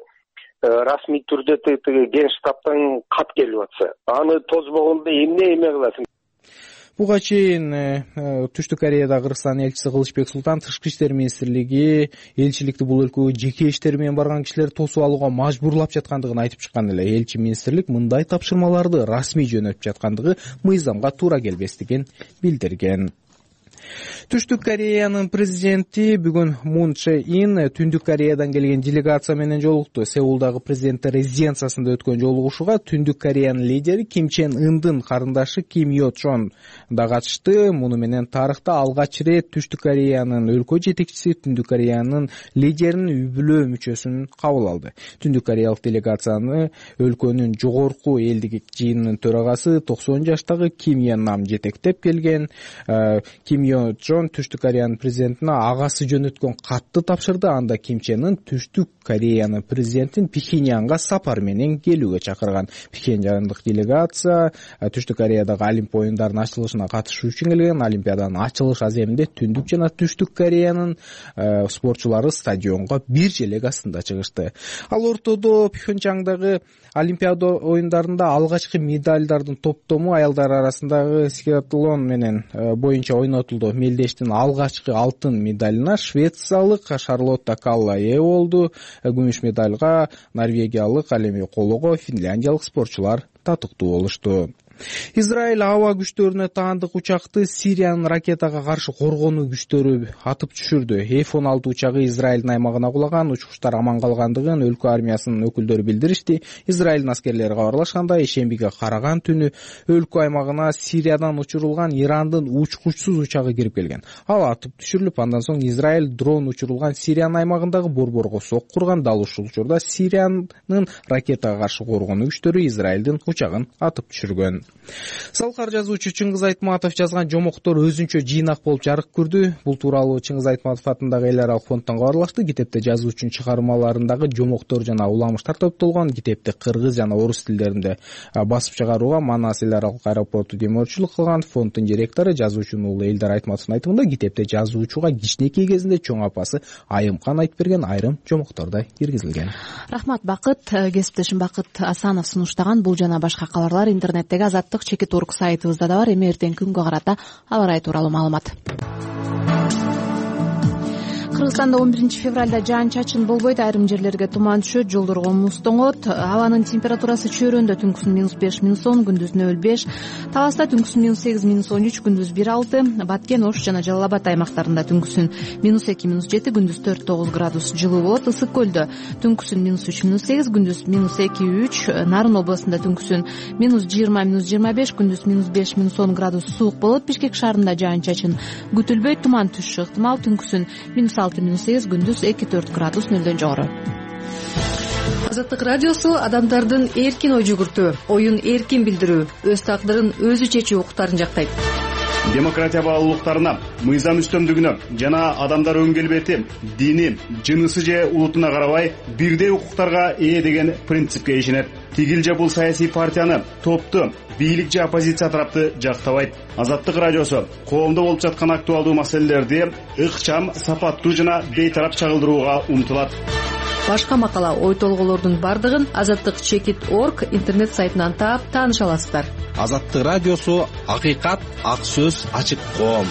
расмий түрдө тиги Генштабтан кат келип атса, аны тозбогондо эмне кыласың? Буга чейин Түштүк Кореяда Кыргызстандын элчиси Кылычбек Султан тышкы иштер министрлиги элчиликти бул өлкөгө жеке иштери менен барган кишилерди тосуп алууга мажбурлап жаткандыгын айтып чыккан эле. Элчи министрлик мындай тапшырмаларды расмий жөнөтүп жаткандыгы мыйзамга туура келбестигин билдирген. Түштүк Кореянын президенти бүгүн Мун Чжэ Ин Түндүк Кореядан келген делегация менен жолукту. Сеулдагы президенттер резиденциясында өткөн жолугушууга Түндүк Кореянын лидери Ким Чен Ындын карындашы Ким Йо Чон да катышты. Муну менен тарыхта алгач ирет Түштүк Кореянын өлкө жетекчиси Түндүк Кореянын лидеринин үй бүлө мүчөсүн кабыл алды. Түндүк Кореялык делегацияны өлкөнүн жогорку элдик жыйынынын төрагасы 90 жаштагы Ким Йен Нам жетектеп келген. Ким Йо Чон Түштүк Кореянын президентине агасы жөнөткөн катты тапшырды. Анда Ким Чен Ын Түштүк Кореянын президентин Пхеньянга сапар менен келүүгө чакырган. Пхеньяндык делегация Түштүк Кореядагы Олимп оюндарынын ачылышына катышуу үчүн келген. Олимпиаданын ачылыш аземинде Түндүк жана Түштүк Кореянын спортчулары стадионго бир желек астында чыгышты. Ал ортодо Пхеньяндагы Олимпиада оюндарында алгачкы медалдардын топтому аялдар арасындагы скиатлон менен боюнча ойнотулду. Мелдештин алгачкы алтын медалына швециялык Шарлотта Калла ээ болду. Күмүш медалга норвегиялык Алеми Колого, финляндиялык спортчулар татыктуу болушту. Израиль аба күчтөрүнө таандык учакты Сириянын ракетага каршы коргонуу күчтөрү атып түшүрдү. F-16 учагы Израилдин аймагына кулаган, учкучтар аман калгандыгын өлкө армиясынын өкүлдөрү билдиришти. Израилдин аскерлери кабарлашкандай, ишембиге караган түнү өлкө аймагына Сириядан учурулган Ирандын учкучсуз учагы кирип келген. Ал атып түшүрүлүп, андан соң Израиль дрон учурулган Сириянын аймагындагы борборго сок курган. Дал ушул учурда Сириянын ракетага каршы коргонуу күчтөрү Израилдин учагын атып түшүргөн. Салкар жазуучу Чыңгыз Айтматов жазган жомоктор өзүнчө жыйнак болуп жарык көрдү. Бул тууралуу Чыңгыз Айтматов атындагы эл аралык фонддон кабарлашты. Китепте жазуучунун чыгармаларындагы жомоктор жана уламыштар топтолгон. Китепти кыргыз жана орус тилдеринде басып чыгарууга Манас эл аралык аэропорту демөөрчүлүк кылган. Фонддун директору жазуучунун уулу Элдар Айтматовдун айтымында китепте жазуучуга кичинекей кезинде чоң апасы Айымкан айтып берген айрым жомоктор да киргизилген. Рахмат Бакыт. Кесиптешим Бакыт Асанов сунуштаган бул жана башка кабарлар интернеттеги Азаттык Чекит.орг сайтыбызда да бар. Эми эртең күнгө карата аба ырайы тууралуу маалымат. Кыргызстанда 11 февралда жаан-чачын болбойт, айрым жерлерге туман түшөт, жолдорго муз тоңот. Абанын температурасы чөйрөндө түнкүсүн -5, -10, күндүз -5, Таласта түнкүсүн -8, -13, күндүз 1-6, Баткен, Ош жана Жалал Абад аймактарында түнкүсүн -2, -7, күндүз 4-9 градус жылуу болот. Ысык көлдө түнкүсүн -3, -8, күндүз -2-3, Нарын областында түнкүсүн -20, -25, күндүз -5, -10 градус суук болот. Бишкек шаарында жаан-чачын күтүлбөйт, туман түшүшү ыктымал, түнкүсүн -6, -8, күндүз 2-4 градус нөлдөн жогору. Азаттык радиосу адамдардын эркин ой жүгүртүү, оюн эркин билдирүү, өз тагдырын өзү чечүү укуктарын жактайт. Демократия баалуулуктарына, мыйзам үстөмдүгүнө жана адамдар өн келбети, дини, жынысы же улутуна карабай бирдей укуктарга ээ деген принципке ишенет. Тигил же бул саясий партияны, топту, бийлик же оппозиция тарапты жактабайт. Азаттык радиосу коомдо болуп жаткан актуалдуу маселелерди ыкчам, сапаттуу жана бейтарап чагылдырууга умтулат. Башка макала, ой толгоолордун бардыгын Азаттык Чекит.орг интернет сайтынан таап тааныша аласыздар. Азаттык радиосу акыйкат, ак сөз, ачык коом.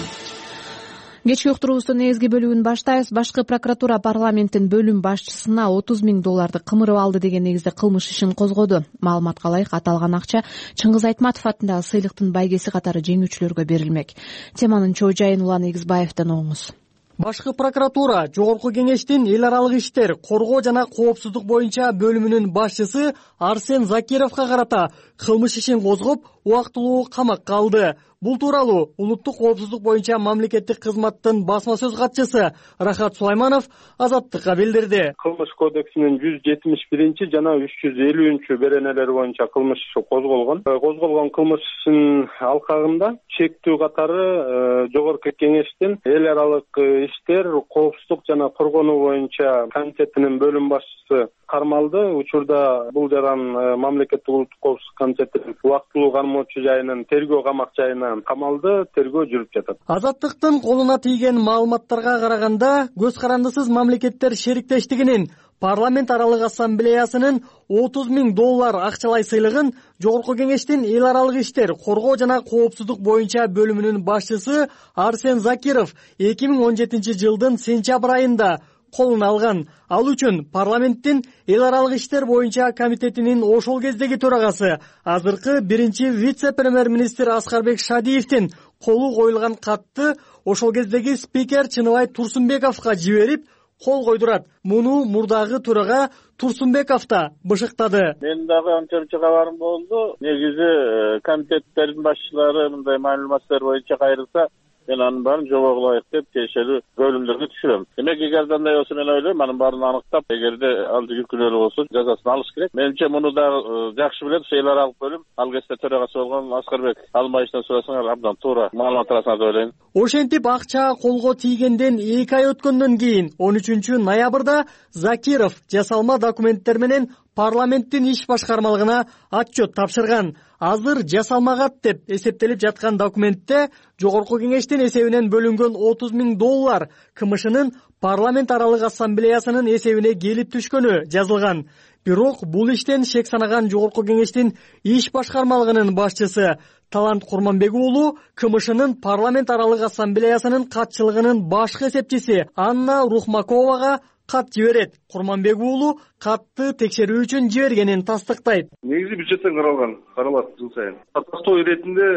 Кечки уктуруубуздун негизги бөлүгүн баштайбыз. Башкы прокуратура парламенттин бөлүм башчысына 30 000 долларды кымырып алды деген негизде кылмыш ишин козгоду. Маалыматка ылайык, аталган акча Чыңгыз Айтматов атындагы сыйлыктын байгеси катары жеңүүчүлөргө берилмек. Теманын чоо жайын Улан Эгизбаевден оңуңуз. Башкы прокуратура Жогорку кеңештин эл аралык иштер, коргоо жана коопсуздук боюнча бөлүмүнүн башчысы Арсен Закировго карата кылмыш ишин козгоп, убактылуу камакка алды. Бул тууралуу улуттук коопсуздук боюнча мамлекеттик кызматтын басма сөз катчысы Рахат Сулайманов Азаттыкка билдирди. Кылмыш кодексинин 171 жана 350 беренелери боюнча кылмыш козголгон. Козголгон кылмыштын алкагында чектүү катары жогорку кеңештин эл аралык иштер, коопсуздук жана коргонуу боюнча комитетинин бөлүм башчысы кармалды. Учурда бул жаран мамлекеттик улуттук коопсуздук комитетинин убактылуу кармоочу жайынын тергөө камак жайына камалды, тергөө жүрүп жатат. Азаттыктын колуна тийген маалыматтарга караганда, көз карандысыз мамлекеттер шериктештигинин парламент аралык ассамблеясынын $30,000 акчалай сыйлыгын Жогорку кеңештин эл аралык иштер, коргоо жана коопсуздук боюнча бөлүмүнүн башчысы Арсен Закиров 2017 жылдын сентябрь айында колуна алган. Ал үчүн парламенттин эл аралык иштер боюнча комитетинин ошол кездеги төрагасы, азыркы биринчи вице-премьер-министр Аскарбек Шадиевдин колу коюлган катты ошол кездеги спикер Чыныбай Турсунбековго жиберип кол койдурат. Муну мурдагы төрага Турсунбеков да бышыктады. Мен дагы анча-мынча кабарым болду. Негизи комитеттердин башчылары мындай маалыматтар боюнча кайрылса, мен анын баарын жобого ылайык деп тиешелүү бөлүмдөргө түшүрөм. Демек, эгерде андай болсо, мен ойлойм, анын баарын аныктап, эгерде ал жүктүүлөрү болсо, жазасын алыш керек. Менимче муну дагы жакшы билет, эл аралык бөлүм, ал кезде төрагасы болгон Аскарбек Алмайчтан сурасаңар, абдан туура маалымат аласыңар деп ойлойм. Ошентип акча колго тийгенден 2 ай өткөндөн кийин 13 ноябрда Закиров жасалма документтер менен парламенттин иш башкармалыгына отчет тапшырган. Азыр жасалмагат деп эсептелип жаткан документте Жогорку кеңештин эсебинен бөлүнгөн $30,000 КМШнын парламент аралык ассамблеясынын эсебине келип түшкөнү жазылган. Бирок бул иштен шек санаган Жогорку кеңештин иш башкармалыгынын башчысы Талант Курманбек уулу КМШнын парламент аралык ассамблеясынын катчылыгынын башкы эсепчиси Анна Рухмаковага кат жиберет. Курманбек уулу катты текшерүү үчүн жибергенин тастыктайт. Негизи бюджеттен каралат жыл сайын. Тактоо иретинде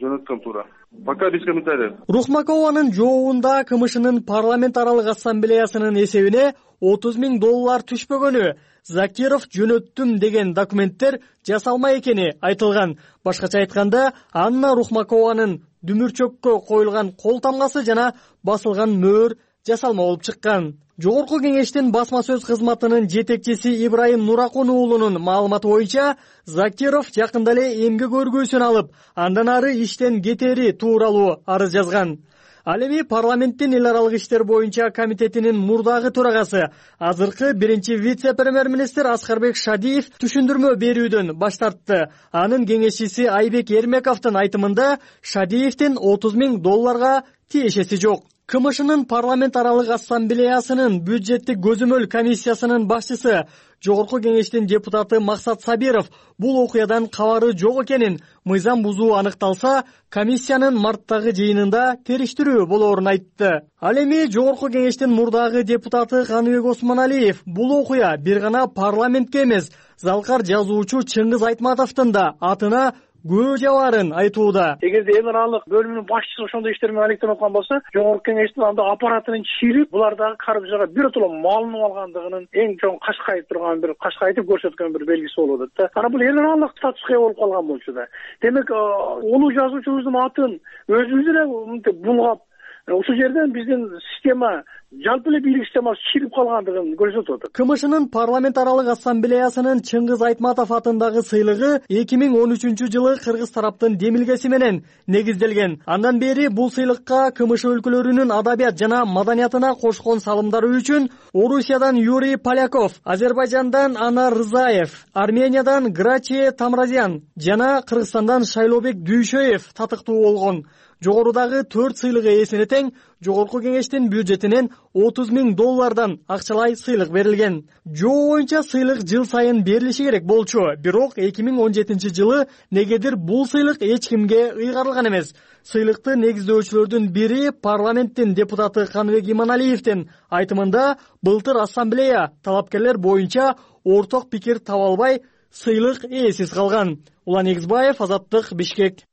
жөнөткөн туура. Пока без комментариев. Рухмакованын жообунда КМШнын парламент аралык ассамблеясынын эсебине $30,000 түшпөгөнү, Закиров жөнөттүм деген документтер жасалма экени айтылган. Башкача айтканда, Анна Рухмакованын дүмүрчөккө коюлган кол тамгасы жана басылган мөөр жасалма болуп чыккан. Жогорку кеңештин басма сөз кызматынын жетекчиси Ибрайым Нуракун уулунун маалыматы боюнча, Закиров жакында эле эмгек өргүүсүн алып, андан ары иштен кетери тууралуу арыз жазган. Ал эми парламенттин эл аралык иштер боюнча комитетинин мурдагы төрагасы, азыркы биринчи вице-премьер-министр Аскарбек Шадиев түшүндүрмө берүүдөн баш тартты. Анын кеңешчиси Айбек Эрмековдун айтымында Шадиевдин $30,000 тиешеси жок. КМШнын парламент аралык ассамблеясынын бюджеттик көзөмөл комиссиясынын башчысы, Жогорку кеңештин депутаты Максат Сабиров бул окуядан кабары жок экенин, мыйзам бузуу аныкталса, комиссиянын марттагы жыйынында териштирүү болоорун айтты. Ал эми Жогорку кеңештин мурдагы депутаты Каныбек Осмоналиев бул окуя бир гана парламентке эмес, залкар жазуучу Чыңгыз Айтматовдун да атына көө жабаарын айтууда. Эгерде эл аралык бөлүмүнүн башчысы ошондой иштермен алектенип аткан болсо, Жогорку кеңештин анда аппаратынын чирип, булардагы каржыга биротоло малынып алгандыгынын эң чоң кашкайып турган бир кашкайтып көрсөткөн бир белгиси болуп атат да. Анан бул эл аралык статуска болуп калган болчу да. Демек, улуу жазуучубуздун атын өзүбүз эле мынтип булгап, ушул жерден биздин система, жалпы эле бийлик системасы чирип калгандыгын көрсөтүп атат. КМШнын парламент аралык ассамблеясынын Чыңгыз Айтматов атындагы сыйлыгы 2013 жылы кыргыз тараптын демилгеси менен негизделген. Андан бери бул сыйлыкка КМШ өлкөлөрүнүн адабият жана маданиятына кошкон салымдары үчүн Орусиядан Юрий Поляков, Азербайжандан Анар Рызаев, Армениядан Грачи Тамразян жана Кыргызстандан Шайлообек Дүйшөев татыктуу болгон. Жогорудагы 4 сыйлык ээсине тең Жогорку кеңештин бюджетинен $30,000 акчалай сыйлык берилген. Жоо боюнча сыйлык жыл сайын берилиши керек болчу, бирок 2017 жылы негедир бул сыйлык эч кимге ыйгарылган эмес. Сыйлыкты негиздөөчүлөрдүн бири парламенттин депутаты Каныбек Иманалиевдин айтымында, былтыр ассамблея талапкерлер боюнча орток пикир таба албай, сыйлык ээсиз калган. Улан Эгизбаев, Азаттык, Бишкек.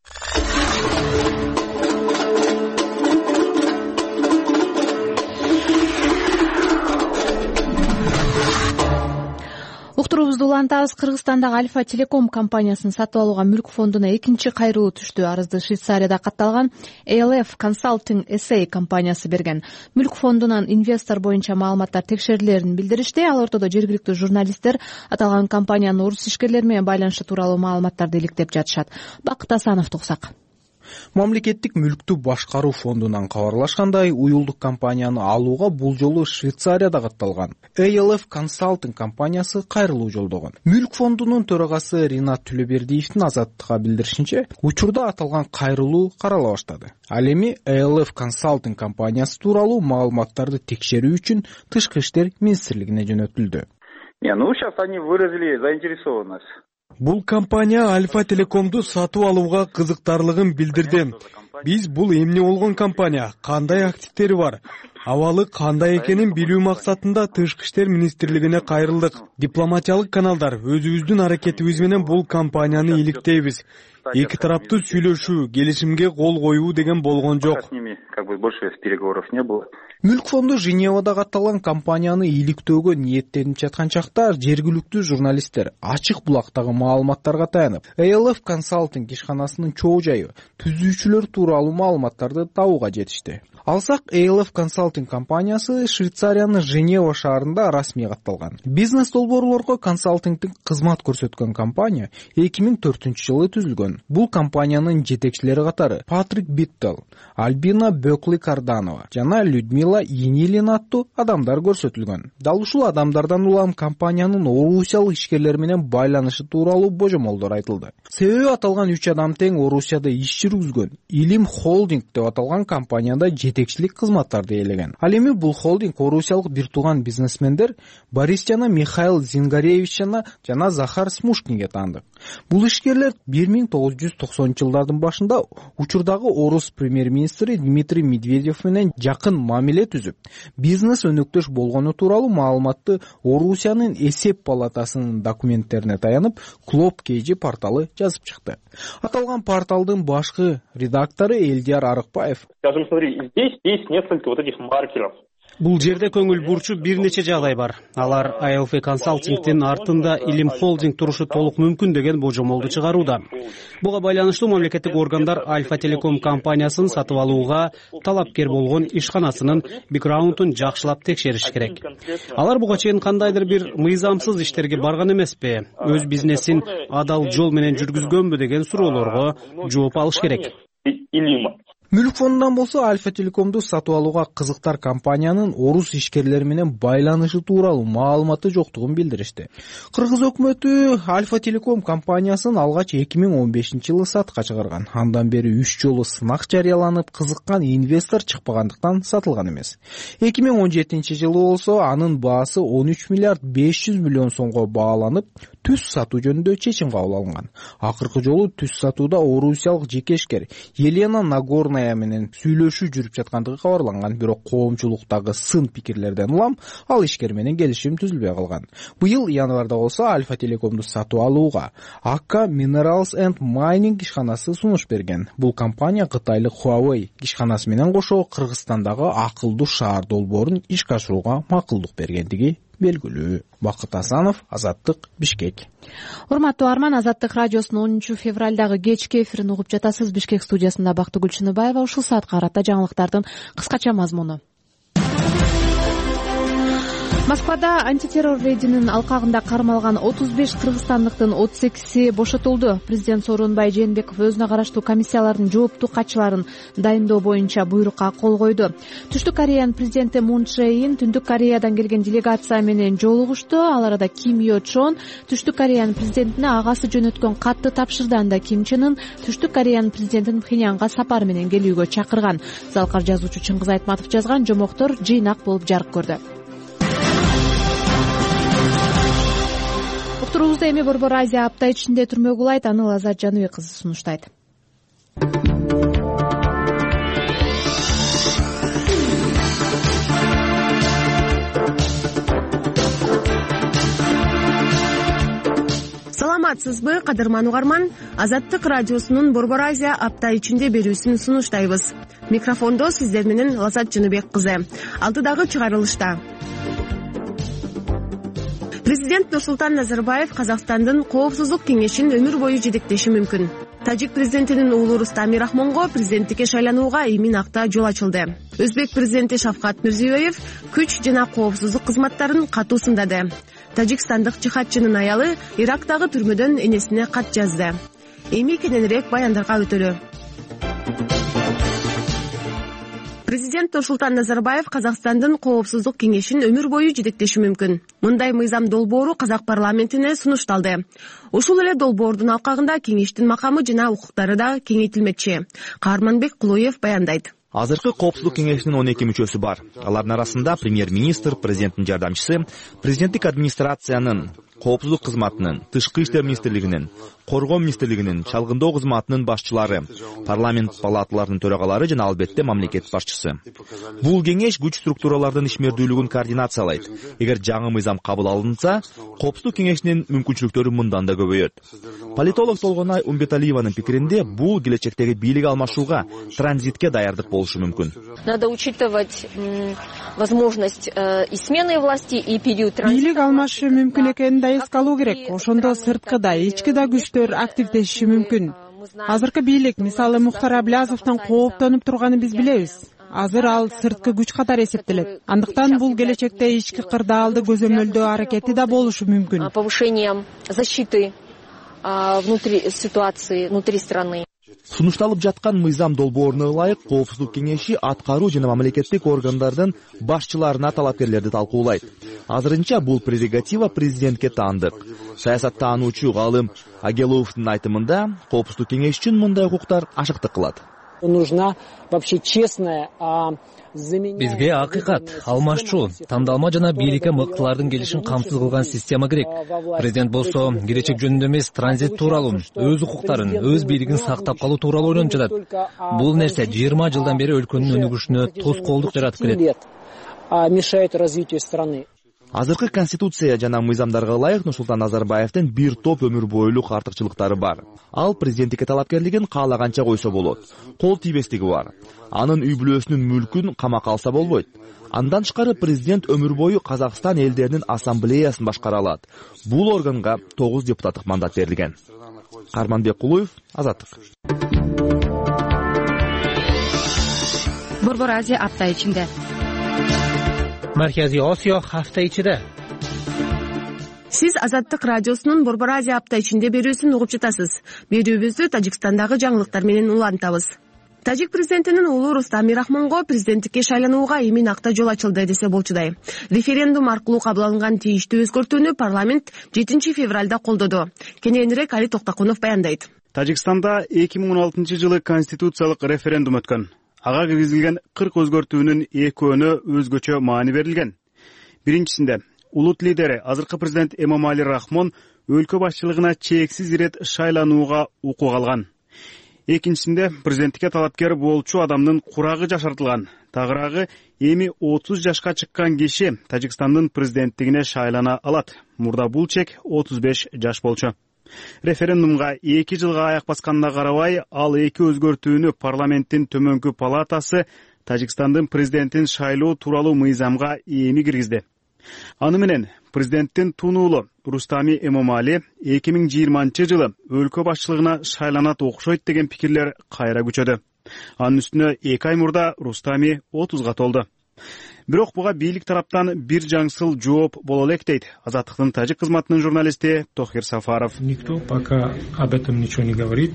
Уктуруубузду улантабыз. Кыргызстандагы Альфа Телеком компаниясын сатып алууга мүлк фондуна экинчи кайрылуу түштү. Арызды Швейцарияда катталган ALF Consulting SA компаниясы берген. Мүлк фондунан инвестор боюнча маалыматтар текшерилерин билдиришти. Ал ортодо жергиликтүү журналисттер аталган компаниянын орус ишкерлери менен байланышы тууралуу маалыматтарды иликтеп жатышат. Бакыт Асановду угсак. Мамлекеттик мүлктү башкаруу фондунан кабарлашкандай, уюлдук компанияны алууга бул жолу Швейцарияда катталган ALF Consulting компаниясы кайрылуу жолдогон. Мүлк фондунун төрагасы Ринат Түлөбердиевдин Азаттыкка билдиришинче, учурда аталган кайрылуу карала баштады. Ал эми ALF Consulting компаниясы тууралуу маалыматтарды текшерүү үчүн Тышкы иштер министрлигине жөнөтүлдү. Сейчас они выразили заинтересованность. Бул компания Альфа Телекомду сатып алууга кызыктарлыгын билдирди. Биз бул эмне болгон компания, кандай активдери бар, абалы кандай экенин билүү максатында Тышкы иштер министрлигине кайрылдык. Дипломатиялык каналдар өзүбүздүн аракетибиз менен бул компанияны иликтейбиз. Эки тараптуу сүйлөшүү, келишимге кол коюу деген болгон жок. С ними больше переговоров не было. Мүлк фонду Женевада катталган компанияны иликтөөгө ниеттенип жаткан чакта жергиликтүү журналисттер ачык булактагы маалыматтарга таянып, ALF Consulting ишканасынын чоо жайы, түзүүчүлөр тууралуу маалыматтарды табууга жетишти. Алсак, ALF Consulting компаниясы Швейцариянын Женева шаарында расмий катталган. Бизнес долбоорлорго консалтингдик кызмат көрсөткөн компания 2004-жылы түзүлгөн. Бул компаниянын жетекчилери катары Патрик Биттел, Альбина Бөкли-Карданова жана Людмила Енилин аттуу адамдар көрсөтүлгөн. Дал ушул адамдардан улам компаниянын орусиялык ишкерлери менен байланышы тууралуу божомолдор айтылды. Себеби аталган 3 адам тең Орусияда иш жүргүзгөн Илим Холдинг деп аталган компанияда жетекчилик кызматтарды ээлеген. Ал эми бул холдинг орусиялык бир тууган бизнесмендер Борис жана Михаил Зингаревич жана Захар Смушкинге таандык. Бул ишкерлер 1990-жылдардын башында учурдагы орус премьер-министри Дмитрий Медведев менен жакын мамиле түзүп, бизнес өнөктөш болгону тууралуу маалыматты Орусиянын эсеп палатасынын документтерине таянып, Клоп KG порталы жазып чыкты. Аталган порталдын башкы редактору Элдияр Арыкбаев: Скажем, смотри, здесь есть несколько вот этих маркеров. Бул жерде көңүл бурчу бир нече жагдай бар. Алар ALF Consulting'тин артында Илим Холдинг турушу толук мүмкүн деген божомолду чыгарууда. Буга байланыштуу мамлекеттик органдар Альфа Телеком компаниясын сатып алууга талапкер болгон ишканасынын бэкграундун жакшылап текшериш керек. Алар буга чейин кандайдыр бир мыйзамсыз иштерге барган эмеспи? Өз бизнесин адал жол менен жүргүзгөнбү деген суроолорго жооп алыш керек. Мүлк фондунан болсо Альфа Телекомду сатып алууга кызыктар компаниянын орус ишкерлери менен байланышы тууралуу маалыматы жоктугун билдиришти. Кыргыз өкмөтү Альфа Телеком компаниясын алгач 2015-жылы сатка чыгарган. Андан бери 3 жолу сынак жарыяланып, кызыккан инвестор чыкпагандыктан сатылган эмес. 2017-жылы болсо анын баасы 13 миллиард 500 миллион сомго бааланып, түз сатуу жөнүндө чечим кабыл алынган. Акыркы жолу түз сатууда орусиялык жекешкер Елена Нагорная менен сүйлөшүү жүрүп жаткандыгы кабарланган. Бирок коомчулуктагы сын пикирлерден улам ал ишкер менен келишим түзүлбөй калган. Быйыл январда болсо Альфа Телекомду сатып алууга Akka Minerals and Mining ишканасы сунуш берген. Бул компания кытайлык Huawei ишканасы менен кошо Кыргызстандагы акылдуу шаар долбоорун ишке ашырууга макулдук бергендиги белгилүү. Бакыт Асанов, Азаттык, Бишкек. Урматтуу Арман, Азаттык радиосунун 10 февралдагы кечки эфирин угуп жатасыз. Бишкек студиясында Бактыгүл Чыныбаева. Ушул саатка карата жаңылыктардын кыскача мазмуну. Москвада антитеррор рейдинин алкагында кармалган 35 кыргызстандыктын 38 бошотулду. Президент Сооронбай Жээнбеков өзүнө караштуу комиссиялардын жооптуу катчыларын дайындоо боюнча буйрукка кол койду. Түштүк Кореянын президенти Мун Чжэ Ин Түндүк Кореядан келген делегация менен жолугушту. Ал арада Ким Йо Чон Түштүк Кореянын президентине агасы жөнөткөн катты тапшырды. Анда Ким Чен Ын Түштүк Кореянын президентин Пхеньянга сапар менен келүүгө чакырган. Залкар жазуучу Чыңгыз Айтматов жазган жомоктор жыйнак болуп жарык көрдү. Уктуруубузда эми Борбор Азия апта ичинде түрмө кулайт. Аны Лазат Жаныбек кызы сунуштайт. Саламатсызбы, кадырман угарман? Азаттык радиосунун Борбор Азия апта ичинде берүүсүн сунуштайбыз. Микрофондо сиздер менен Лазат Жаныбек кызы. Алдыдагы чыгарылышта Президент Нурсултан Назарбаев Казакстандын Коопсуздук кеңешин өмүр бою жетектеши мүмкүн. Тажик президентинин уулу Рустам Мирахмонго президенттикке шайланууга эмин акта жол ачылды. Өзбек президенти Шавкат Мирзиёев күч жана коопсуздук кызматтарын катуу сындады. Тажикстандык жихадчынын аялы Ирактагы түрмөдөн энесине кат жазды. Эми кененирээк баяндарга өтөлү. Президент Нурсултан Назарбаев Казакстандын Коопсуздук кеңешин өмүр бою жетектеши мүмкүн. Мындай мыйзам долбоору Казак парламентине сунушталды. Ушул эле долбоордун алкагында кеңештин макамы жана укуктары да кеңейтилмекчи. Каарманбек Кулуев баяндайт. Азыркы Коопсуздук кеңешинин 12 мүчөсү бар. Алардын арасында премьер-министр, президенттин жардамчысы, президенттик администрациянын, коопсуздук кызматынын, тышкы иштер министрлигинин, коргоо министрлигинин, чалгындоо кызматынын башчылары, парламент палаталарынын төрагалары жана албетте мамлекет башчысы. Бул кеңеш күч структуралардын ишмердүүлүгүн координациялайт. Эгер жаңы мыйзам кабыл алынса, Коопсуздук кеңешинин мүмкүнчүлүктөрү мындан да көбөйөт. Политолог Толгонай Умбеталиеванын пикиринде, бул келечектеги бийлик алмашууга, транзитке даярдык болушу мүмкүн. Надо учитывать возможность и смены власти, и период транзита. Бийлик алмашы мүмкүн экенин да эске алуу керек. Ошондо сырткы да, ички да күчтөр активдешиши мүмкүн. Азыркы бийлик, мисалы Мухтар Аблязовдон кооптонуп турганын биз билебиз. Азыр ал сырткы күч катары эсептелет. Андыктан бул келечекте ички кырдаалды көзөмөлдөө аракети да болушу мүмкүн. Повышением защиты внутри ситуации, внутри страны. Сунушталып жаткан мыйзам долбооруна ылайык Коопсуздук кеңеши аткаруу жана мамлекеттик органдардын башчыларына талапкерлерди талкуулайт. Азырынча бул прерогатива президентке таандык. Саясаттануучу галым Агеловдун айтымында, Коопсуздук кеңеш үчүн мындай укуктар ашыктык кылат. Нужна вообще честная, Бизге акыйкат, алмашчу, тандалма жана бийликке мыктылардын келишин камсыз кылган система керек. Президент болсо келечек жөнүндө эмес, транзит тууралуу, өз укуктарын, өз бийлигин сактап калуу тууралуу ойлонуп жатат. Бул нерсе 20 жылдан бери өлкөнүн өнүгүшүнө тоскоолдук жаратып келет. Мешает развитию страны. Азыркы конституция жана мыйзамдарга ылайык Нурсултан Назарбаевдин бир топ өмүр бойлук артыкчылыктары бар. Ал президенттикке талапкерлигин каалаганча койсо болот. Кол тийбестиги бар. Анын үй бүлөсүнүн мүлкүн камакка алса болбойт. Андан тышкары президент өмүр бою Казакстан элдеринин ассамблеясын башкара алат. Бул органга 9 депутаттык мандат берилген. Каарманбек Кулуев, Азаттык. Борбор Азия апта ичинде. Марказий Осиё hafta ичиде. Сиз Азаттык радиосунун Борбор Азия апта ичинде берүүсүн угуп жатасыз. Берүүбүздү Тажикстандагы жаңылыктар менен улантабыз. Тажик президентинин уулу Рустам Мирахмонго президенттикке шайланууга эмин акта жол ачылды десе болчудай. Референдум аркылуу кабыл алынган тийиштүү өзгөртүүнү парламент 7 февралда колдоду. Кененирээк Али Токтакунов баяндайт. Тажикстанда 2016 жылы конституциялык референдум өткөн. Ага киргизилген 40 өзгөртүүнүн экөөнө өзгөчө маани берилген. Биринчисинде улут лидери азыркы президент Эмомали Рахмон өлкө башчылыгына чексиз ирет шайланууга укук алган. Экинчисинде президенттикке талапкер болчу адамдын курагы жашартылган. Тагыраагы эми 30 жашка чыккан киши Тажикстандын президенттигине шайлана алат. Мурда бул чек 35 жаш болчу. Референдумга 2 жылга аяк басканына карабай, ал эки өзгөртүүнү парламенттин төмөнкү палатасы Тажикстандын президентин шайлоо тууралуу мыйзамга эми киргизди. Аны менен президенттин тунуулу Рустами Эмомали 2020 жылы өлкө башчылыгына шайланат окшойт деген пикирлер кайра күчөдү. Анын үстүнө 2 ай мурда Рустами 30га толду. Бирок буга бийлик тараптан бир жаңсыл жооп боло элек дейт Азаттыктын тажик кызматынын журналисти Тохир Сафаров. Никто пока об этом ничего не говорит,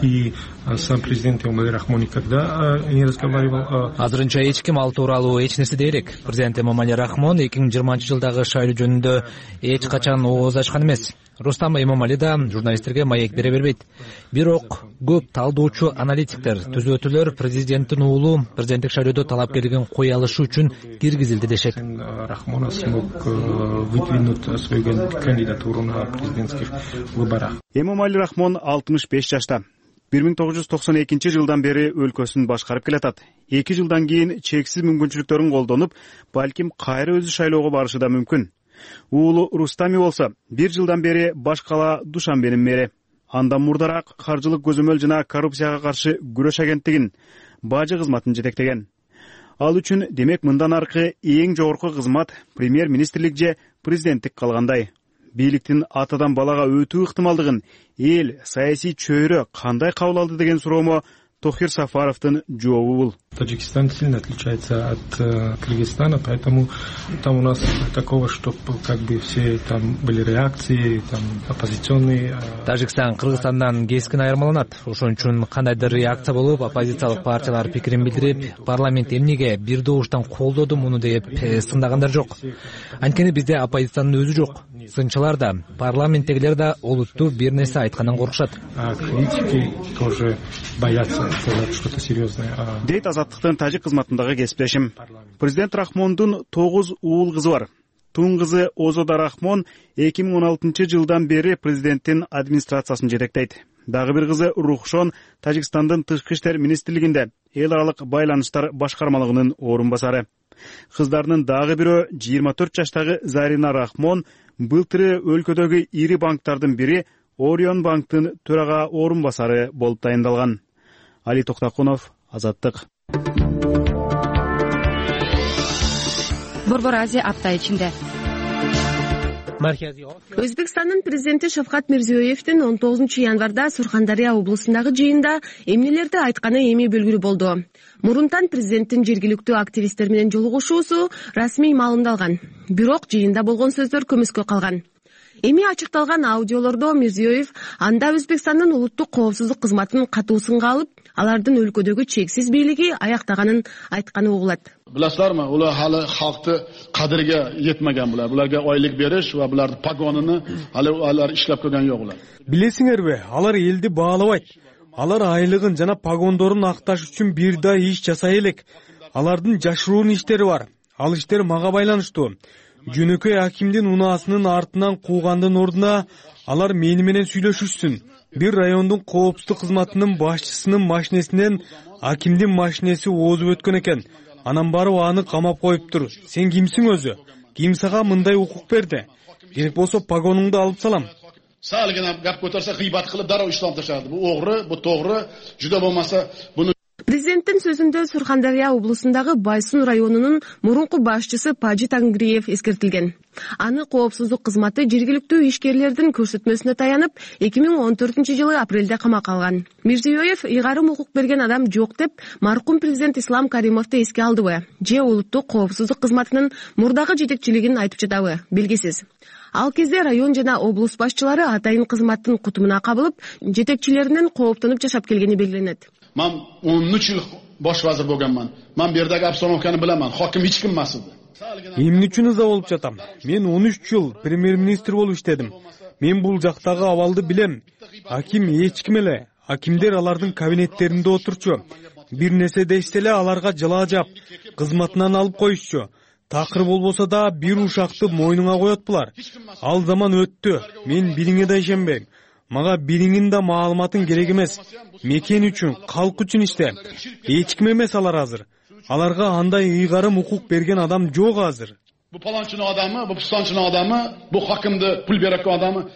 и сам президент Эмомали Рахмон никогда не разговаривал. Азырынча эч ким ал тууралуу эч нерсе дей элек. Президент Эмомали Рахмон 2020 жылдагы шайлоо жөнүндө эч качан ооз ачкан эмес. Рустам Эмомали да журналисттерге маек бере бербейт. Бирок көп талдоочу аналитиктер, түзөтүүлөр президенттин уулу президенттик шайлоодо талапкерлигин кое алышы үчүн киргизилди дешет. Рахмон смог выдвинуть свою кандидатуру на президентских выборах. Эмомали Рахмон 65 жашта. 1992 жылдан бери өлкөсүн башкарып келатат. 2 жылдан кийин чексиз мүмкүнчүлүктөрүн колдонуп, балким кайра өзү шайлоого барышы да мүмкүн. Уулу Рустами болсо 1 жылдан бери баш кала Душанбенин мэри. Андан мурдараак каржылык көзөмөл жана коррупцияга каршы күрөш агенттигин, бажы кызматын жетектеген. Ал үчүн демек мындан аркы эң жогорку кызмат премьер-министрлик же президенттик калгандай. Бийликтин атадан балага өтүү ыктымалдыгын эл, саясий чөйрө кандай кабыл алды деген суроомо Тохир Сафаровдун жообу бул. Таджикистан сильно отличается от Кыргызстана, поэтому там у нас такого, что как бы все там были реакции, там оппозиционные. Тажикстан Кыргызстандан кескин айырмаланат. Ошон үчүн кандайдыр реакция болуп, оппозициялык партиялар пикирин билдирип, парламент эмнеге бир добуштан колдоду муну деп сындагандар жок. Анткени бизде оппозициянын өзү жок. Сынчылар да, парламенттегилер да олуттуу бир нерсе айткандан коркушат. Критики тоже боятся сказать что-то серьезное. Дейт Азаттыктын тажик кызматындагы кесиптешим. Президент Рахмондун 9 уул кызы бар. Тун кызы Озода Рахмон 2016-жылдан бери президенттин администрациясын жетектейт. Дагы бир кызы Рухшон Тажикстандын тышкы иштер министрлигинде эл аралык байланыштар башкармалыгынын орун басары. Кыздарынын дагы бирөө 24 жаштагы Зарина Рахмон былтыры өлкөдөгү ири банктардын бири Орион банктын төрага орун басары болуп дайындалган. Али Токтакунов, Азаттык. Борбор Азия апта ичинде. Өзбекстандын президенти Шавкат Мирзиёевдин 19 январда Сурхандария облусундагы жыйында эмнелерди айтканы эми белгилүү болду. Мурунтан президенттин жергиликтүү активисттер менен жолугушуусу расмий маалымдалган. Бирок жыйында болгон сөздөр көмүскө калган. Эми ачыкталган аудиолордо Мирзиёев анда Өзбекстандын улуттук коопсуздук кызматын катуу сынга алып, алардын өлкөдөгү чексиз бийлиги аяктаганын айтканы угулат. Биласыздармы, улар хали халкты кадырга жетмеген булар. Буларга ойлук бериш ва булардын погонуну алар иштеп көргөн жок улар. Билесиңерби, алар элди баалабайт. Алар айлыгын жана погондорун акташ үчүн бир да иш жасай элек. Алардын жашыруун иштери бар. Ал иштер мага байланыштуу. Жөнөкөй акимдин унаасынын артынан куугандын ордуна алар мени менен сүйлөшүшсүн. Бир райондун коопсуздук кызматынын башчысынын машинесинен акимдин машинеси озуп өткөн экен. Анан барып аны камап коюптур. Сен кимсиң өзү? Ким сага мындай укук берди? Керек болсо погонуңду алып салам. Салгына гап көтөрсө кыйбат кылып дароо иштен ташады. Бу огры, бу тогры. Жүдө болмаса буну Президенттин сөзүндө Сурхандария облусундагы Байсун районунун мурунку башчысы Пажи Тангриев эскертилген. Аны коопсуздук кызматы жергиликтүү ишкерлердин көрсөтмөсүнө таянып, 2014-жылы апрелде камакка алган. Мирзиёев ыйгарым укук берген адам жок деп маркум президент Ислам Каримовду эске алдыбы? Же улуттук коопсуздук кызматынын мурдагы жетекчилигин айтып жатабы? Белгисиз. Ал кезде район жана облус башчылары атайын кызматтын кутумуна кабылып, жетекчилеринен кооптонуп жашап келгени белгиленет. Мен 13 жыл бош вазир болгонман. Мен бердеги обстановканы билемин. Хаким эч ким эмес эди. Эмне үчүн ыза болуп жатам? Мен 13 жыл премьер-министр болуп иштедим. Мен бул жактагы абалды билем. Аким эч ким эле. Акимдер алардын кабинеттеринде отурчу. Бир нерсе дешсе эле аларга жылаа жап, кызматынан алып коюшчу. Такыр болбосо да бир ушакты мойнуңа коет булар. Ал заман өттү. Мен бириңе да ишенбейм. Мага бириңин да маалыматың керек эмес. Мекен үчүн, калк үчүн иште. Эч ким эмес алар азыр. Аларга андай ыйгарым укук берген адам жок азыр. Бу паланчынын адамы, бу пустанчынын адамы, бу хакимди пул берек адамы.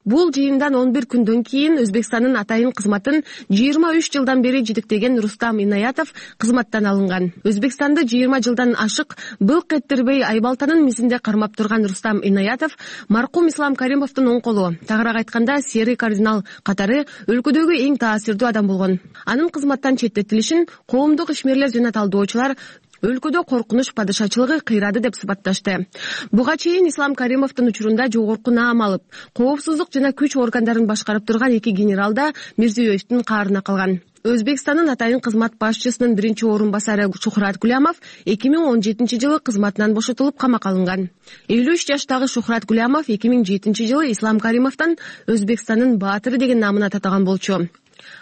Бул жыйындан 11 күндөн кийин Өзбекстандын атайын кызматын 23 жылдан бери жетектеген Рустам Инаятов кызматтан алынган. Өзбекстанды 20 жылдан ашык былк эттербей Айбалтанын мизинде кармап турган Рустам Инаятов маркум Ислам Каримовдун оң колу, тагыраак айтканда серый кардинал катары өлкөдөгү эң таасирдүү адам болгон. Анын кызматтан четтетилишин коомдук ишмерлер жана талдоочулар өлкөдө коркунуч падышачылыгы кыйрады деп сыпатташты. Буга чейин Ислам Каримовдун учурунда жогорку наам алып, коопсуздук жана күч органдарын башкарып турган 2 генерал да Мирзиёевдин каарына калган. Өзбекстандын атайын кызмат башчысынын биринчи орун басары Шухрат Гулямов 2017-жылы кызматынан бошотулуп камакка алынган. 53 жаштагы Шухрат Гулямов 2007-жылы Ислам Каримовдон Өзбекстандын баатыры деген наамын атаган болчу.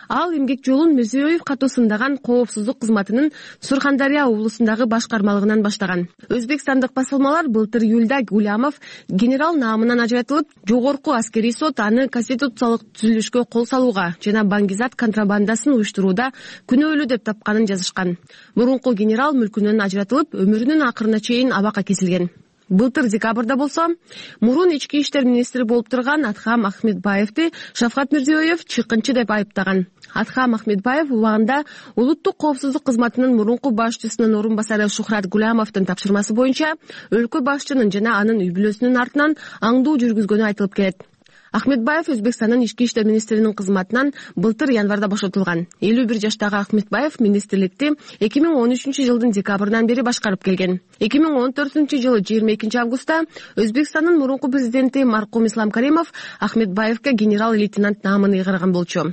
Ал эмгек жолун Мирзиёев катуу сындаган коопсуздук кызматынын Сурхандария облусундагы башкармалыгынан баштаган. Өзбекстандык басылмалар былтыр июлда Гулямов генерал наамынан ажыратылып, жогорку аскерий сот аны конституциялык түзүлүшкө кол салууга жана баңгизат контрабандасын уюштурууда күнөөлүү деп тапканын жазышкан. Мурунку генерал мүлкүнөн ажыратылып, өмүрүнүн акырына чейин абакка кесилген. Былтыр декабрда болсо мурун ички иштер министри болуп турган Атхам Ахмедбаевди Шавкат Мирзиёев чыккынчы деп айыптаган. Атхам Ахмедбаев убагында улуттук коопсуздук кызматынын мурунку башчысынын орун басары Шухрат Гулямовдун тапшырмасы боюнча өлкө башчынын жана анын үй бүлөсүнүн артынан аңдуу жүргүзгөнү айтылып келет. Ахмедбаев Өзбекстандын ички иштер министринин кызматынан былтыр январда бошотулган. 51 жаштагы Ахмедбаев министрликти 2013 жылдын декабрынан бери башкарып келген. 2014 жылы 22 августта Өзбекстандын мурунку президенти маркум Ислам Каримов Ахмедбаевге генерал-лейтенант наамын ыйгарган болчу.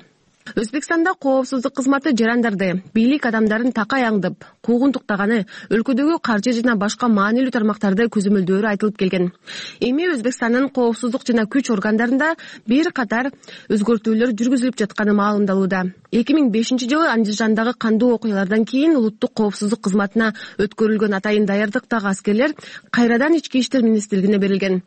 Өзбекстанда коопсуздук кызматы жарандарды, бийлик адамдарын такай аңдып, куугунтуктаганы, өлкөдөгү каржы жана башка маанилүү тармактарды көзөмөлдөөрү айтылып келген. Эми Өзбекстандын коопсуздук жана күч органдарында бир катар өзгөртүүлөр жүргүзүлүп жатканы маалымдалууда. 2005 жылы Андижандагы кандуу окуялардан кийин улуттук коопсуздук кызматына өткөрүлгөн атайын даярдыктагы аскерлер кайрадан ички иштер министрлигине берилген.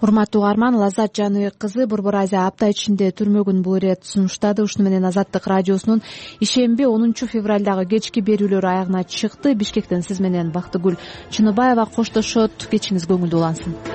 Урматтуу угарман, Лаззат Жаныбек кызы Борбор Азия апта ичинде түрмөгүн бул ирет сунуштады. Ушуну менен Азаттык радиосунун ишемби 10 февралдагы кечки берүүлөрү аягына чыкты. Бишкектен сиз менен Бактыгүл Чыныбаева коштошот. Кечиңиз көңүлдүү улансын.